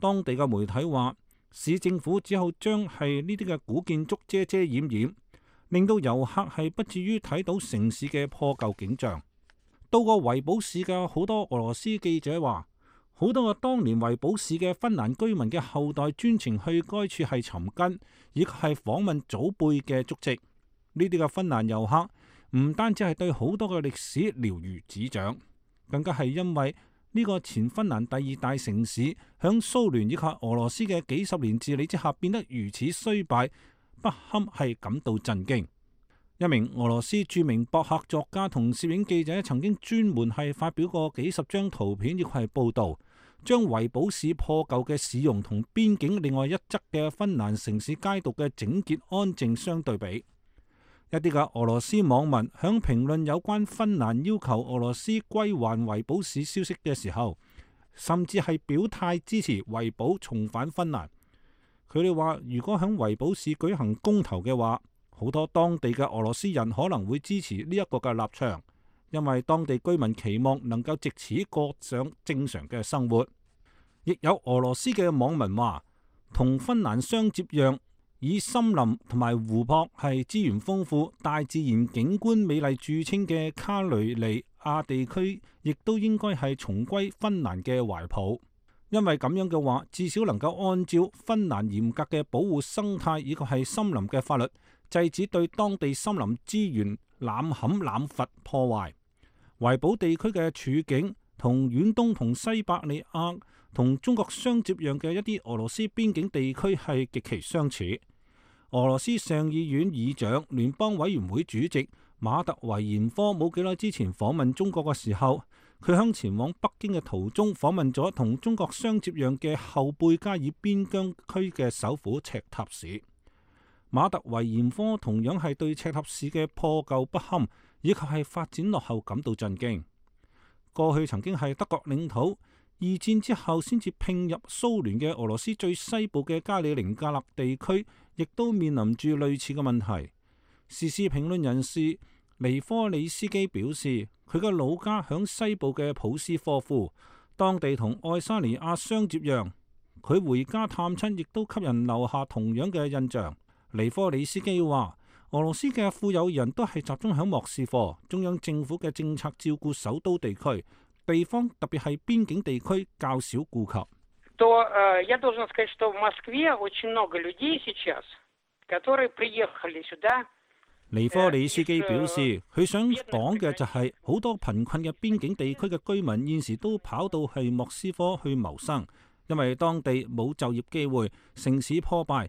當地嘅媒體話，市政府只好將係呢啲嘅古建築遮遮掩掩，令到遊客係不至於睇到城市嘅破舊景象。到過維堡市嘅好多俄羅斯記者話，好多個當年維堡市嘅芬蘭居民嘅後代專程去該處係尋根，以及係訪問祖輩嘅足跡。呢啲嘅芬蘭遊客唔單止係對好多嘅歷史了如指掌，更加係因為呢個前芬蘭第二大城市響蘇聯以及俄羅斯嘅幾十年治理之下變得如此衰敗，不堪係感到震驚。一名俄羅斯著名博客作家同攝影記者曾經專門係發表過幾十張圖片，亦係報導，將維堡市破舊嘅市容同邊境另外一側嘅芬蘭城市街道嘅整潔安靜相對比。一啲嘅俄羅斯網民響評論有關芬蘭要求俄羅斯歸還維堡市消息嘅時候，甚至係表態支持維堡重返芬蘭。佢哋話，如果響維堡市舉行公投嘅話，好多當地嘅俄羅斯人可能會支持呢一個嘅立場，因為當地居民期望能夠藉此過上正常嘅生活。亦有俄羅斯嘅網民話，同芬蘭相接壤，以森林同埋湖泊係資源豐富、大自然景觀美麗著稱嘅卡雷尼亞地區，亦都應該係重歸芬蘭嘅懷抱。因為咁樣嘅話，至少能夠按照芬蘭嚴格嘅保護生態以及係森林嘅法律，制止對當地森林資源濫砍濫伐破壞。維堡地區嘅處境同遠東同西伯利亞同中國相接壤嘅一啲俄羅斯邊境地區係極其相似。俄羅斯上議院議長、聯邦委員會主席馬特維延科冇幾耐之前訪問中國嘅時候，佢響前往北京嘅途中訪問咗同中國相接壤嘅後貝加爾邊疆區嘅首府赤塔市。馬特維延科同樣係對赤塔市嘅破舊不堪以及係發展落後感到震驚。過去曾經係德國領土，二戰之後先至併入蘇聯嘅俄羅斯最西部嘅加里寧格勒地區，亦都面臨住類似嘅問題。時事評論人士尼科里斯基表示，佢嘅老家響西部嘅普斯科夫，當地同愛沙尼亞相接壤，佢回家探親亦都給人留下同樣嘅印象。尼科里斯基話，俄羅斯嘅富有人都係集中喺莫斯科，中央政府嘅政策照顧首都地區，地方特別係邊境地區較少顧及。то я должен сказать, что в Москве очень много людей сейчас, которые приехали сюда。尼科里斯基表示，佢想講嘅就係好多貧困嘅邊境地區嘅居民現時都跑到去莫斯科去謀生，因為當地冇就業機會，城市破敗，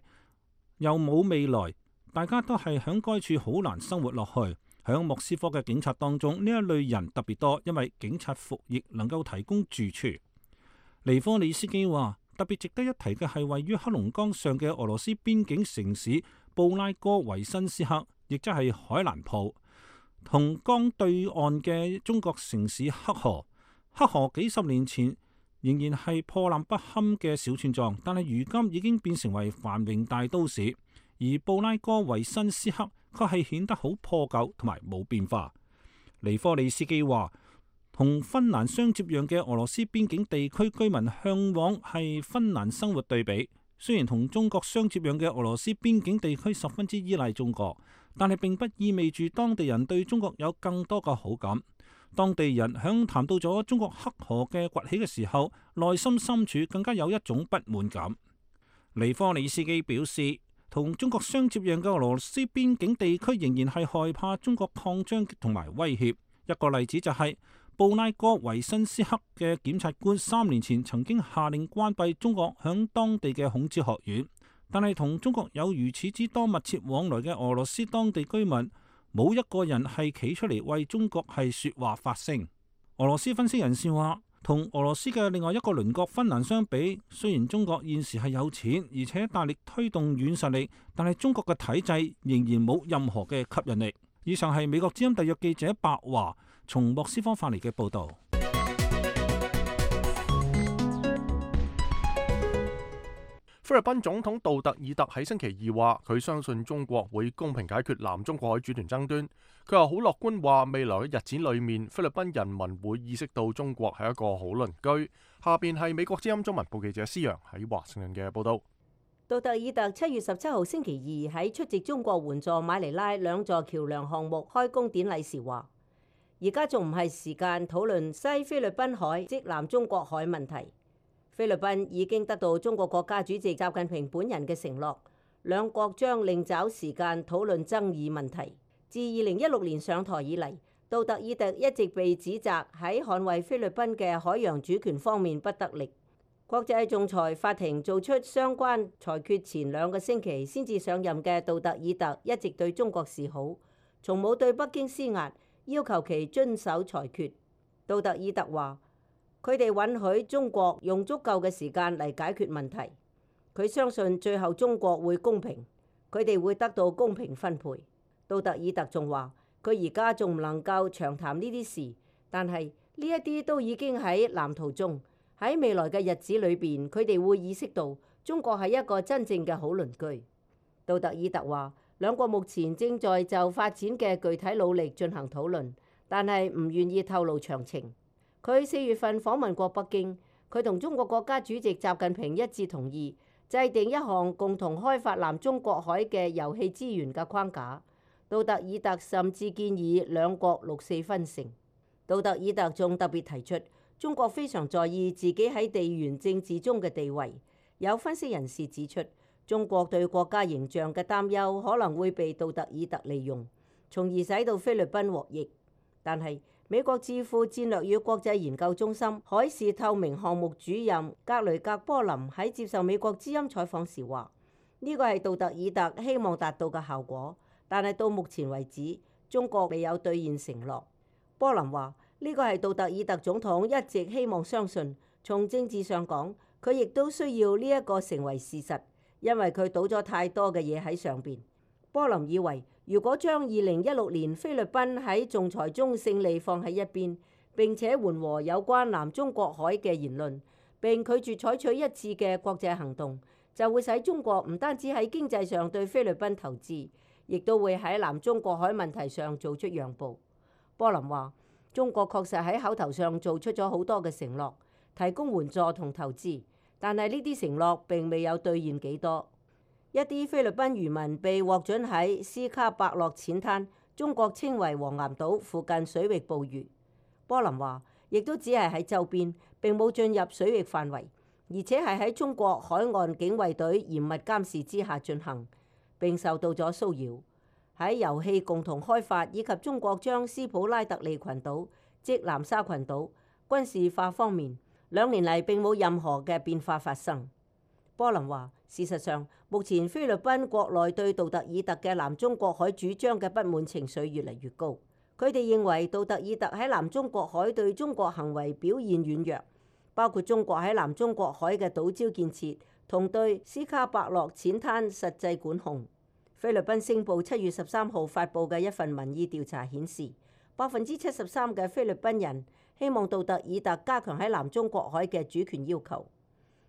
又冇未來，大家都係響該處好難生活落去。響莫斯科嘅警察當中，呢一類人特別多，因為警察服役能夠提供住處。尼科里斯基話，特別值得一提嘅係位於黑龍江上嘅俄羅斯邊境城市布拉戈維申斯克，亦即係海蘭普，同江對岸嘅中國城市黑河。黑河幾十年前仍然係破爛不堪嘅小村莊，但係如今已經變成為繁榮大都市。而布拉戈維申斯克卻係顯得好破舊同埋冇變化。尼科里斯基話，同芬蘭相接壤嘅俄羅斯邊境地區居民向往係芬蘭生活對比，雖然同中國相接壤嘅俄羅斯邊境地區十分之依賴中國，但係並不意味住當地人對中國有更多嘅好感。當地人響談到咗中國黑河嘅崛起嘅時候，內心深處更加有一種不滿感。尼科里斯基表示，同中國相接壤嘅俄羅斯邊境地區仍然係害怕中國擴張同埋威脅。一個例子就係、是、布拉戈維申斯克嘅檢察官三年前曾經下令關閉中國響當地嘅孔子學院，但係同中國有如此之多密切往來嘅俄羅斯當地居民，冇一個人係企出嚟為中國係說話發聲。俄羅斯分析人士話，同俄羅斯嘅另外一個鄰國芬蘭相比，雖然中國現時係有錢，而且大力推動軟實力，但係中國嘅體制仍然冇任何嘅吸引力。以上係美國之音特約記者白華從莫斯科發嚟嘅報道。菲律賓總統杜特爾特喺星期二話，佢相信中國會公平解決南中國海主權爭端。佢又好樂觀話，未來嘅日子裏面，菲律賓人民會意識到中國係一個好鄰居。下邊係美國之音中文部記者施陽喺華盛頓嘅報道。杜特爾特七月十七號星期二喺出席中國援助馬尼拉兩座橋梁項目開工典禮時話，而家仲唔係時間討論西菲律賓海即南中國海問題。菲律賓已經得到中國國家主席習近平本人嘅承諾，兩國將另找時間討論爭議問題。自二零一六年上台以嚟，杜特爾特一直被指責喺捍衛菲律賓嘅海洋主權方面不得力。國際仲裁法庭做出相關裁決前兩個星期先至上任嘅杜特爾特一直對中國示好，從冇對北京施壓，要求其遵守裁決。杜特爾特話：佢哋允許中國用足夠嘅時間嚟解決問題，佢相信最後中國會公平，佢哋會得到公平分配。杜特爾特仲話：佢而家仲唔能夠長談呢啲事，但係呢一啲都已經喺藍圖中。喺未來嘅日子裏邊，佢哋會意識到中國係一個真正嘅好鄰居。杜特爾特話：兩國目前正在就發展嘅具體努力進行討論，但係唔願意透露詳情。佢四月份訪問過北京，佢同中國國家主席習近平一致同意制定一項共同開發南中國海嘅油氣資源嘅框架。杜特爾特甚至建議兩國六四分成。杜特爾特仲特別提出，中國非常在意自己喺地緣政治中嘅地位。有分析人士指出，中國對國家形象嘅擔憂可能會被杜特爾特利用，從而使到菲律賓獲益。但係美國智庫戰略與國際研究中心海事透明項目主任格雷格波林喺接受美國之音採訪時話：呢個係杜特爾特希望達到嘅效果，但係到目前為止，中國未有兌現承諾。波林話：呢個係杜特爾特總統一直希望相信，從政治上講，佢亦都需要呢一個成為事實，因為佢賭咗太多嘅嘢喺上邊。波林以為，如果將二零一六年菲律賓喺仲裁中勝利放喺一邊，並且緩和有關南中國海嘅言論，並拒絕採取一致嘅國際行動，就會使中國唔單止喺經濟上對菲律賓投資，亦都會喺南中國海問題上做出讓步。波林話：中國確實喺口頭上做出咗好多嘅承諾，提供援助同投資，但係呢啲承諾並未有兌現幾多。一啲菲律賓漁民被獲准喺斯卡伯洛淺灘，中國稱為黃岩島附近水域捕魚。波林話：亦都只係喺周邊，並冇進入水域範圍，而且係喺中國海岸警衛隊嚴密監視之下進行，並受到咗騷擾。喺油氣共同開發以及中國將斯普拉特利群島即南沙群島軍事化方面，兩年嚟並冇任何嘅變化發生。波林話：事實上，目前菲律賓國內對杜特爾特嘅南中國海主張嘅不滿情緒越嚟越高。佢哋認為杜特爾特喺南中國海對中國行為表現軟弱，包括中國喺南中國海嘅島礁建設同對斯卡伯洛淺灘實際管控。菲律賓星報七月十三號發布嘅一份民意調查顯示，百分之七十三嘅菲律賓人希望杜特爾特加強喺南中國海嘅主權要求。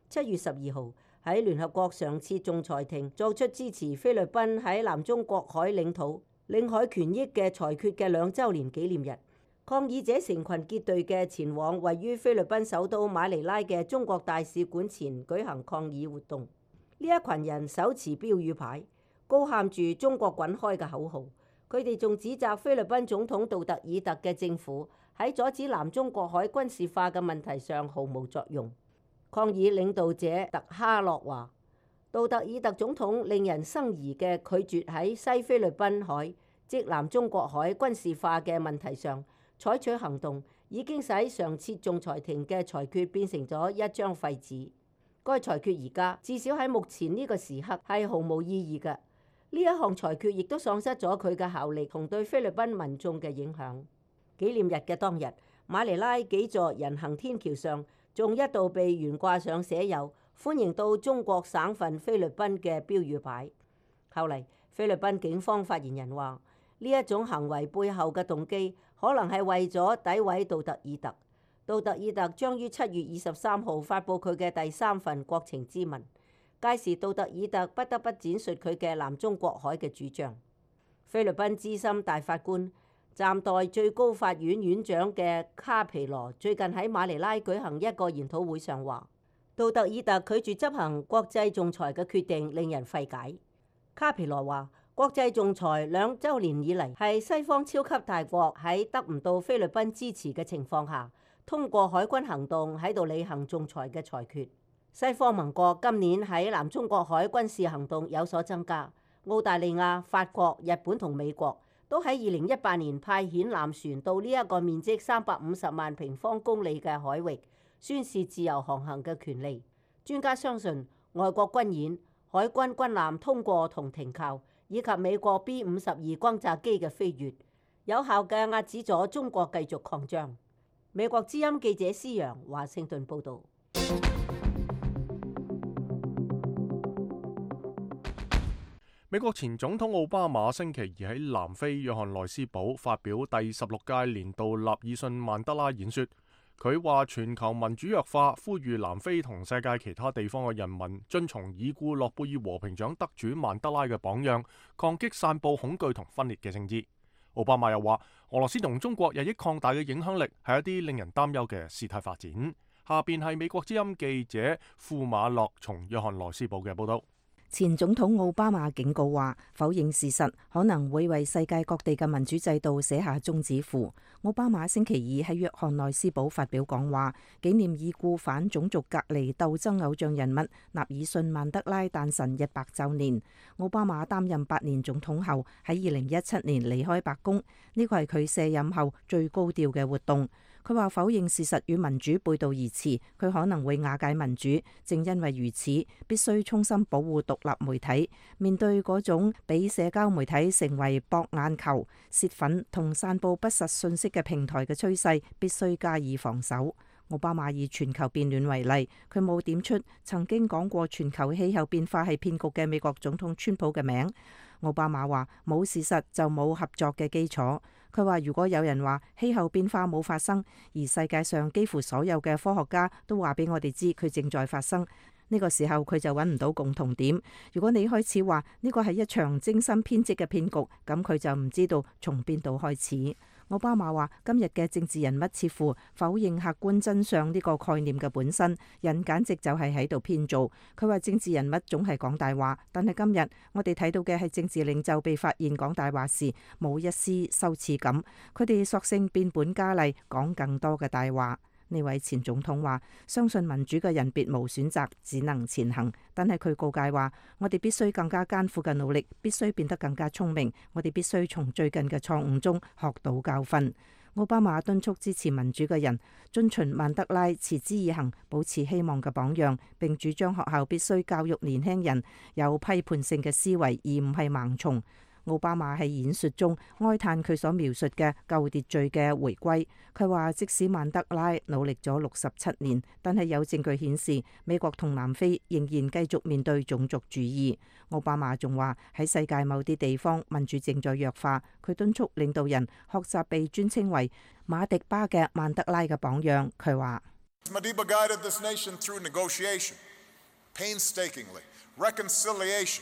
七月十二號喺聯合國上次仲裁庭作出支持菲律賓喺南中國海領土領海權益嘅裁決嘅兩週年紀念日，抗議者成群結隊嘅前往位於菲律賓首都馬尼拉嘅中國大使館前舉行抗議活動。呢一群人手持標語牌，高喊住中國滾開嘅口號。佢哋仲指責菲律賓總統杜特爾特嘅政府喺阻止南中國海軍事化嘅問題上毫無作用。抗議領導者特哈洛話：杜特爾特總統令人生疑嘅拒絕喺西菲律賓海即南中國海軍事化嘅問題上採取行動，已經使上次仲裁庭嘅裁決變成咗一張廢紙。該裁決而家至少喺目前呢個時刻係毫無意義嘅。呢一項裁決亦都喪失咗佢嘅效力同對菲律賓民眾嘅影響。紀念日嘅當日，馬尼拉幾座人行天橋上仲一度被懸掛上寫有歡迎到中國省份菲律賓嘅標語牌。後嚟菲律賓警方發言人話：呢一種行為背後嘅動機可能係為咗詆毀杜特爾特。杜特爾特將於七月二十三號發布佢嘅第三份國情咨文，屆時杜特爾特不得不展述佢嘅南中國海嘅主張。菲律賓資深大法官暫代最高法院院長嘅卡皮羅最近喺馬尼拉舉行一個研討會上話：杜特爾特拒絕執行國際仲裁嘅決定令人費解。卡皮羅話：國際仲裁兩週年以嚟係西方超級大國喺得唔到菲律賓支持嘅情況下，通過海軍行動喺度履行仲裁嘅裁決。西方盟國今年喺南中國海軍事行動有所增加，澳大利亞、法國、日本同美國都喺二零一八年派遣艦船到呢一個面積三百五十萬平方公里嘅海域，宣示自由航行嘅權利。專家相信，外國軍演、海軍軍艦通過同停靠，以及美國 B 五十二轟炸機嘅飛越，有效嘅壓止咗中國繼續擴張。美國之音記者施陽華盛頓報導。美國前總統奧巴馬星期二喺南非約翰內斯堡發表第十六屆年度納爾遜曼德拉演說。佢話全球民主弱化，呼籲南非同世界其他地方嘅人民遵從已故諾貝爾和平獎得主曼德拉嘅榜樣，抗擊散佈恐懼同分裂嘅政治。奧巴馬又話，俄羅斯同中國日益擴大嘅影響力係一啲令人擔憂嘅事態發展。下邊係美國之音記者庫馬諾從約翰內斯堡嘅報道。前總統奧巴馬警告話，否認事實可能會為世界各地嘅民主制度寫下終止符。奧巴馬星期二喺約翰內斯堡發表講話，紀念已故反種族隔離鬥爭偶像人物納爾遜曼德拉誕辰一百週年。奧巴馬擔任八年總統後，喺二零一七年離開白宮，呢個係佢卸任後最高調嘅活動。佢話否認事實與民主背道而馳，佢可能會瓦解民主。正因為如此，必須衷心保護獨立媒體。面對嗰種俾社交媒體成為博眼球、洩憤同散佈不實信息嘅平台嘅趨勢，必須加以防守。奧巴馬以全球變暖為例，佢冇點出曾經講過全球氣候變化係騙局嘅美國總統川普嘅名。奧巴馬話冇事實就冇合作嘅基礎。佢話如果有人話氣候變化冇發生，而世界上幾乎所有嘅科學家都話俾我哋知佢正在發生，呢個時候佢就揾唔到共同點。如果你開始話呢個係一場精心編織嘅騙局，咁佢就唔知道從邊度開始。奧巴馬話今日嘅政治人物似乎否認客觀真相呢個概念嘅本身，人簡直就係喺度編造。佢話政治人物總係講大話，但係今日我哋睇到嘅係政治領袖被發現講大話時冇一絲羞恥感，佢哋索性變本加厲講更多嘅大話。呢位前總統話相信民主嘅人別無選擇，只能前行。但係佢告誡話我哋必須更加艱苦嘅努力，必須變得更加聰明，我哋必須從最近嘅錯誤中學到教訓。奧巴馬敦促支持民主嘅人遵循曼德拉持之以恆、保持希望嘅榜樣，並主張學校必須教育年輕人有批判性嘅思維，而唔係盲從。奧巴馬喺演說中哀嘆佢所描述嘅舊秩序嘅回歸。佢話即使曼德拉努力咗六十七年，但係有證據顯示美國同南非仍然繼續面對種族主義。奧巴馬仲話喺世界某啲地方民主正在弱化。佢敦促領導人學習被尊稱為馬迪巴嘅曼德拉嘅榜樣。佢話Madiba guided this nation through negotiation, painstakingly, reconciliation,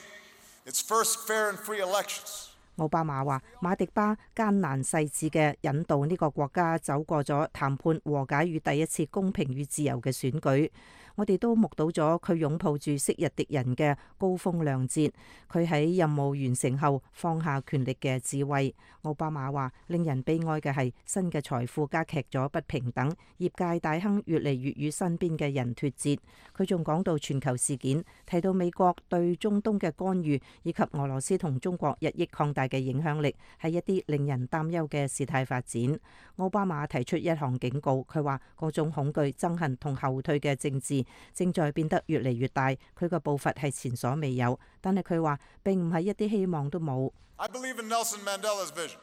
its first fair and free elections. 奧巴馬話馬迪巴艱難細緻嘅引導呢個國家走過咗談判、和解與第一次公平與自由嘅選舉。我哋都目睹咗佢擁抱住昔日敵人嘅高風亮節，佢喺任務完成後放下權力嘅智慧。奧巴馬話令人悲哀嘅係新嘅財富加劇咗不平等，業界大亨越嚟越與身邊嘅人脫節。佢仲講到全球事件，提到美國對中東嘅干預，以及俄羅斯同中國日益擴大嘅影響力，係一啲令人擔憂嘅事態發展。奧巴馬提出一項警告，佢話嗰種恐懼、憎恨同後退嘅政治正在變得越嚟越大，佢嘅步伐係前所未有，但係佢話並唔係一啲希望都冇。I believe in Nelson Mandela's vision.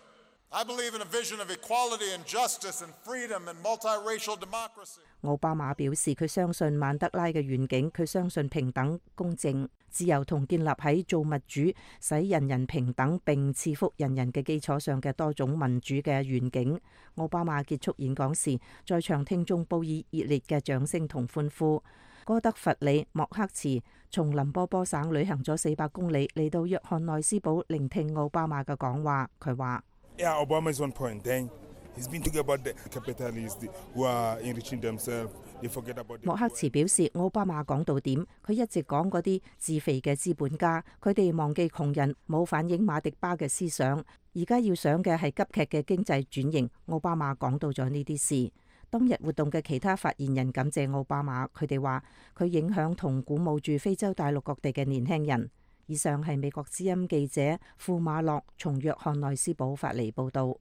I believe in a vision of equality and justice and freedom and multiracial democracy. 奧巴馬表示佢相信曼德拉嘅願景，佢相信平等、公正、自由同建立喺造物主使人人平等並賜福人人嘅基礎上嘅多種民主嘅願景。奧巴馬結束演講時，在場聽眾報以熱烈嘅掌聲同歡呼。哥德弗里莫克茨從林波波省旅行咗四百公里嚟到約翰內斯堡聆聽奧巴馬嘅講話。佢話Yeah, Obama is on point. Then he's been talking about the capitalists who are enriching themselves. They forget about. 莫克茨表示，奧巴馬講到點，佢一直講嗰啲自肥嘅資本家，佢哋忘記窮人，冇反映馬迪巴嘅思想。而家要想嘅係急劇嘅經濟轉型。奧巴馬講到咗呢啲事。當日活動嘅其他發言人感謝奧巴馬，佢哋話佢影響同鼓舞住非洲大陸各地嘅年輕人。以上係美國之音記者庫馬洛從約翰內斯堡發嚟報道。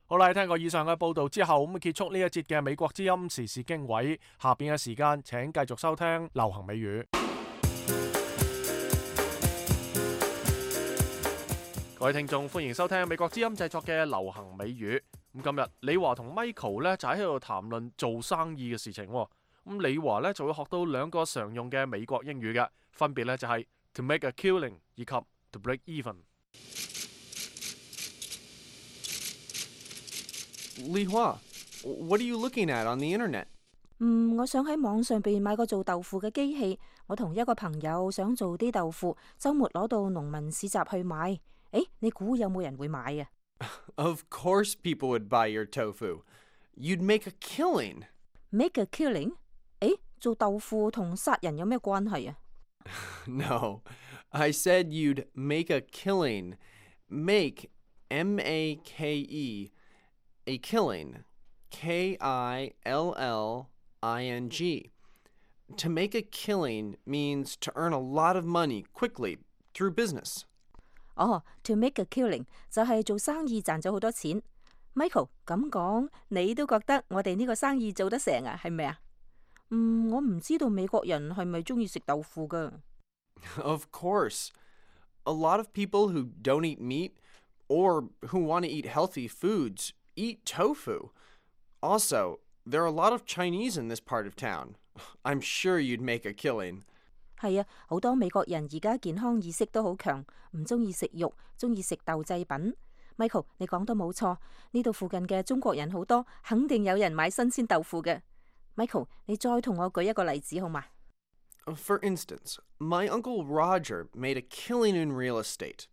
好啦，聽過以上嘅報道之後，咁結束呢一節嘅美國之音時事經緯。下邊嘅時間請繼續收聽流行美語。各位聽眾，歡迎收聽美國之音製作嘅流行美語。咁今日李華同 Michael 咧就喺度談論做生意嘅事情。咁李華咧就會學到兩個常用嘅美國英語嘅，分別咧就係 to make a killing 以及 to break even。李華 ，What are you looking at on the internet？ 嗯，我想喺網上邊買個做豆腐嘅機器。我同一個朋友想做啲豆腐，週末攞到農民市集去買。誒，你估有冇人會買啊？ Of course people would buy your tofu. You'd make a killing. Make a killing？ 誒，做豆腐同殺人有咩關係啊？ No, I said you'd make a killing. Make, M A K E, a killing, K I L L I N G. To make a killing means to earn a lot of money quickly through business. 哦、oh, to make a killing 就係做生意賺咗好多錢。Michael 咁講，你都覺得我哋呢個生意做得成啊？係咪啊？嗯，我唔知道美國人係咪中意食豆腐噶。Of course. A lot of people who don't eat meat or who want to eat healthy foods eat tofu. Also, there are a lot of Chinese in this part of town. I'm sure you'd make a killing. 係啊，好多美國人而家健康意識都好強，唔中意食肉，中意食豆製品。Michael， 你講得冇錯，呢度附近嘅中國人好多，肯定有人買新鮮豆腐嘅。Michael， 你再同我舉一個例子好嗎？ For instance, my uncle Roger made a killing in real estate.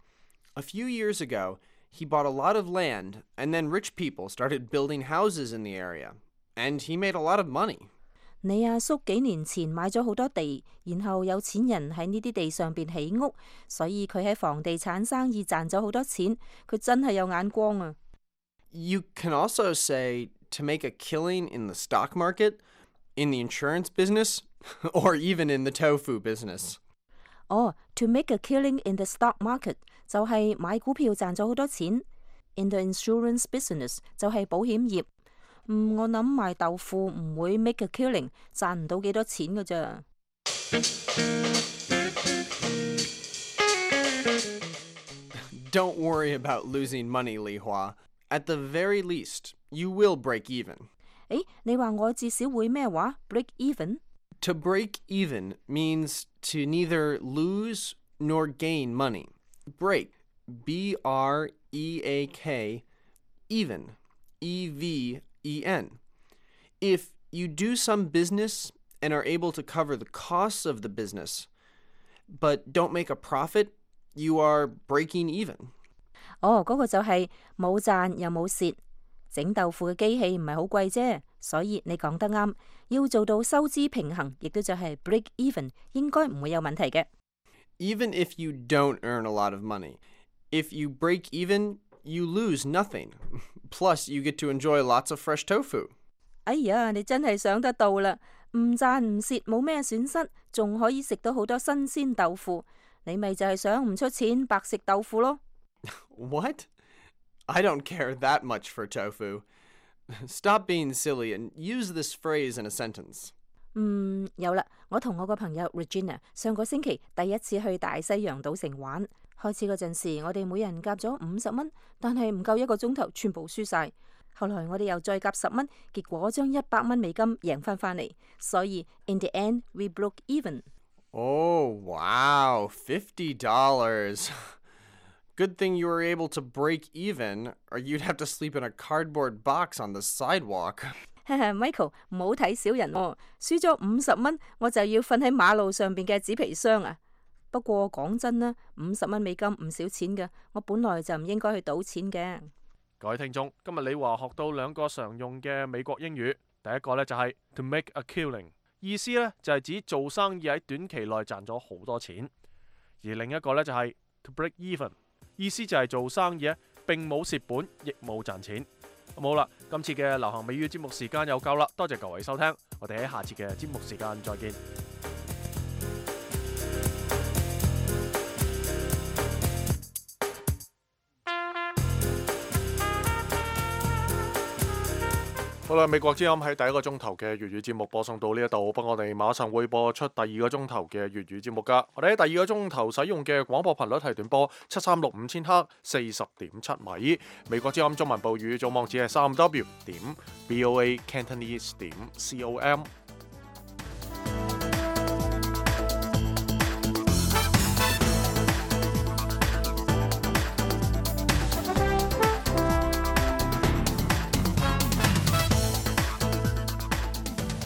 A few years ago, he bought a lot of land, and then rich people started building houses in the area, and he made a lot of money. 你阿叔幾年前買咗好多地，然後有錢人喺呢啲地上邊起屋，所以佢喺房地產生意賺咗好多錢。佢真係有眼光啊！ You can also say to make a killing in the stock market, in the insurance business, or even in the tofu business. 哦、oh, to make a killing in the stock market 就係買股票賺咗好多錢。In the insurance business 就係保險業。嗯，我諗賣豆腐唔會 make a killing， 賺唔到幾多錢㗎咋。Don't worry about losing money, Li Hua. At the very least, you will break even. 誒，你話我至少會咩話 ？break even？ To break even means to neither lose nor gain money. Break, B R E A K, even, E V E N. If you do some business and are able to cover the costs of the business, but don't make a profit, you are breaking even. 哦，嗰個就係冇賺又冇蝕。整豆腐嘅機器唔係好貴啫，所以你講得啱。要做到收支平衡，亦都就係 break even， 應該唔會有問題嘅。Even if you don't earn a lot of money, if you break even, you lose nothing. Plus, you get to enjoy lots of fresh tofu. 哎呀，你真係想得到啦！唔賺唔蝕，冇咩損失，仲可以食到好多新鮮豆腐。你咪就係想唔出錢白食豆腐咯。What? I don't care that much for tofu. Stop being silly and use this phrase in a sentence. 嗯，有啦，我同我個朋友 Regina 上個星期第一次去大西洋賭城玩。開始嗰陣時，我哋每人夾咗五十蚊，但係唔夠一個鐘頭，全部輸晒。後來我哋又再夾十蚊，結果將一百蚊美金贏翻返嚟。所以 in the end we broke even. Oh, wow, fifty dollars. Good thing you were able to break even, or you'd have to sleep in a cardboard box on the sidewalk. Michael 唔好睇小人喎，輸咗五十蚊，我就要瞓喺馬路上邊嘅紙皮箱啊！不過講真啦，五十蚊美金唔少錢嘅，我本來就唔應該去賭錢嘅。各位聽眾，今日李華學到兩個常用嘅美國英語，第一個呢就係 to make a killing， 意思呢就係指做生意喺短期內賺咗好多錢，而另一個呢就係 to break even， 意思就係做生意呢並冇蝕本，亦冇賺錢。咁好啦，今次嘅流行美語節目時間又夠啦，多謝各位收聽，我哋喺下次嘅節目時間再見。好啦，美國之音喺第一個鐘頭嘅粵語節目播送到呢一度，不過我哋馬上會播出第二個鐘頭嘅粵語節目噶。我哋喺第二個鐘頭使用嘅廣播頻率係短波七三六五千赫，四十點七米。美國之音中文報語總網址係三 W 點 B O A Cantonese 點 C O M。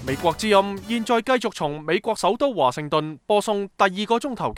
美國之音現在繼續從美國首都華盛頓播送第二個鐘頭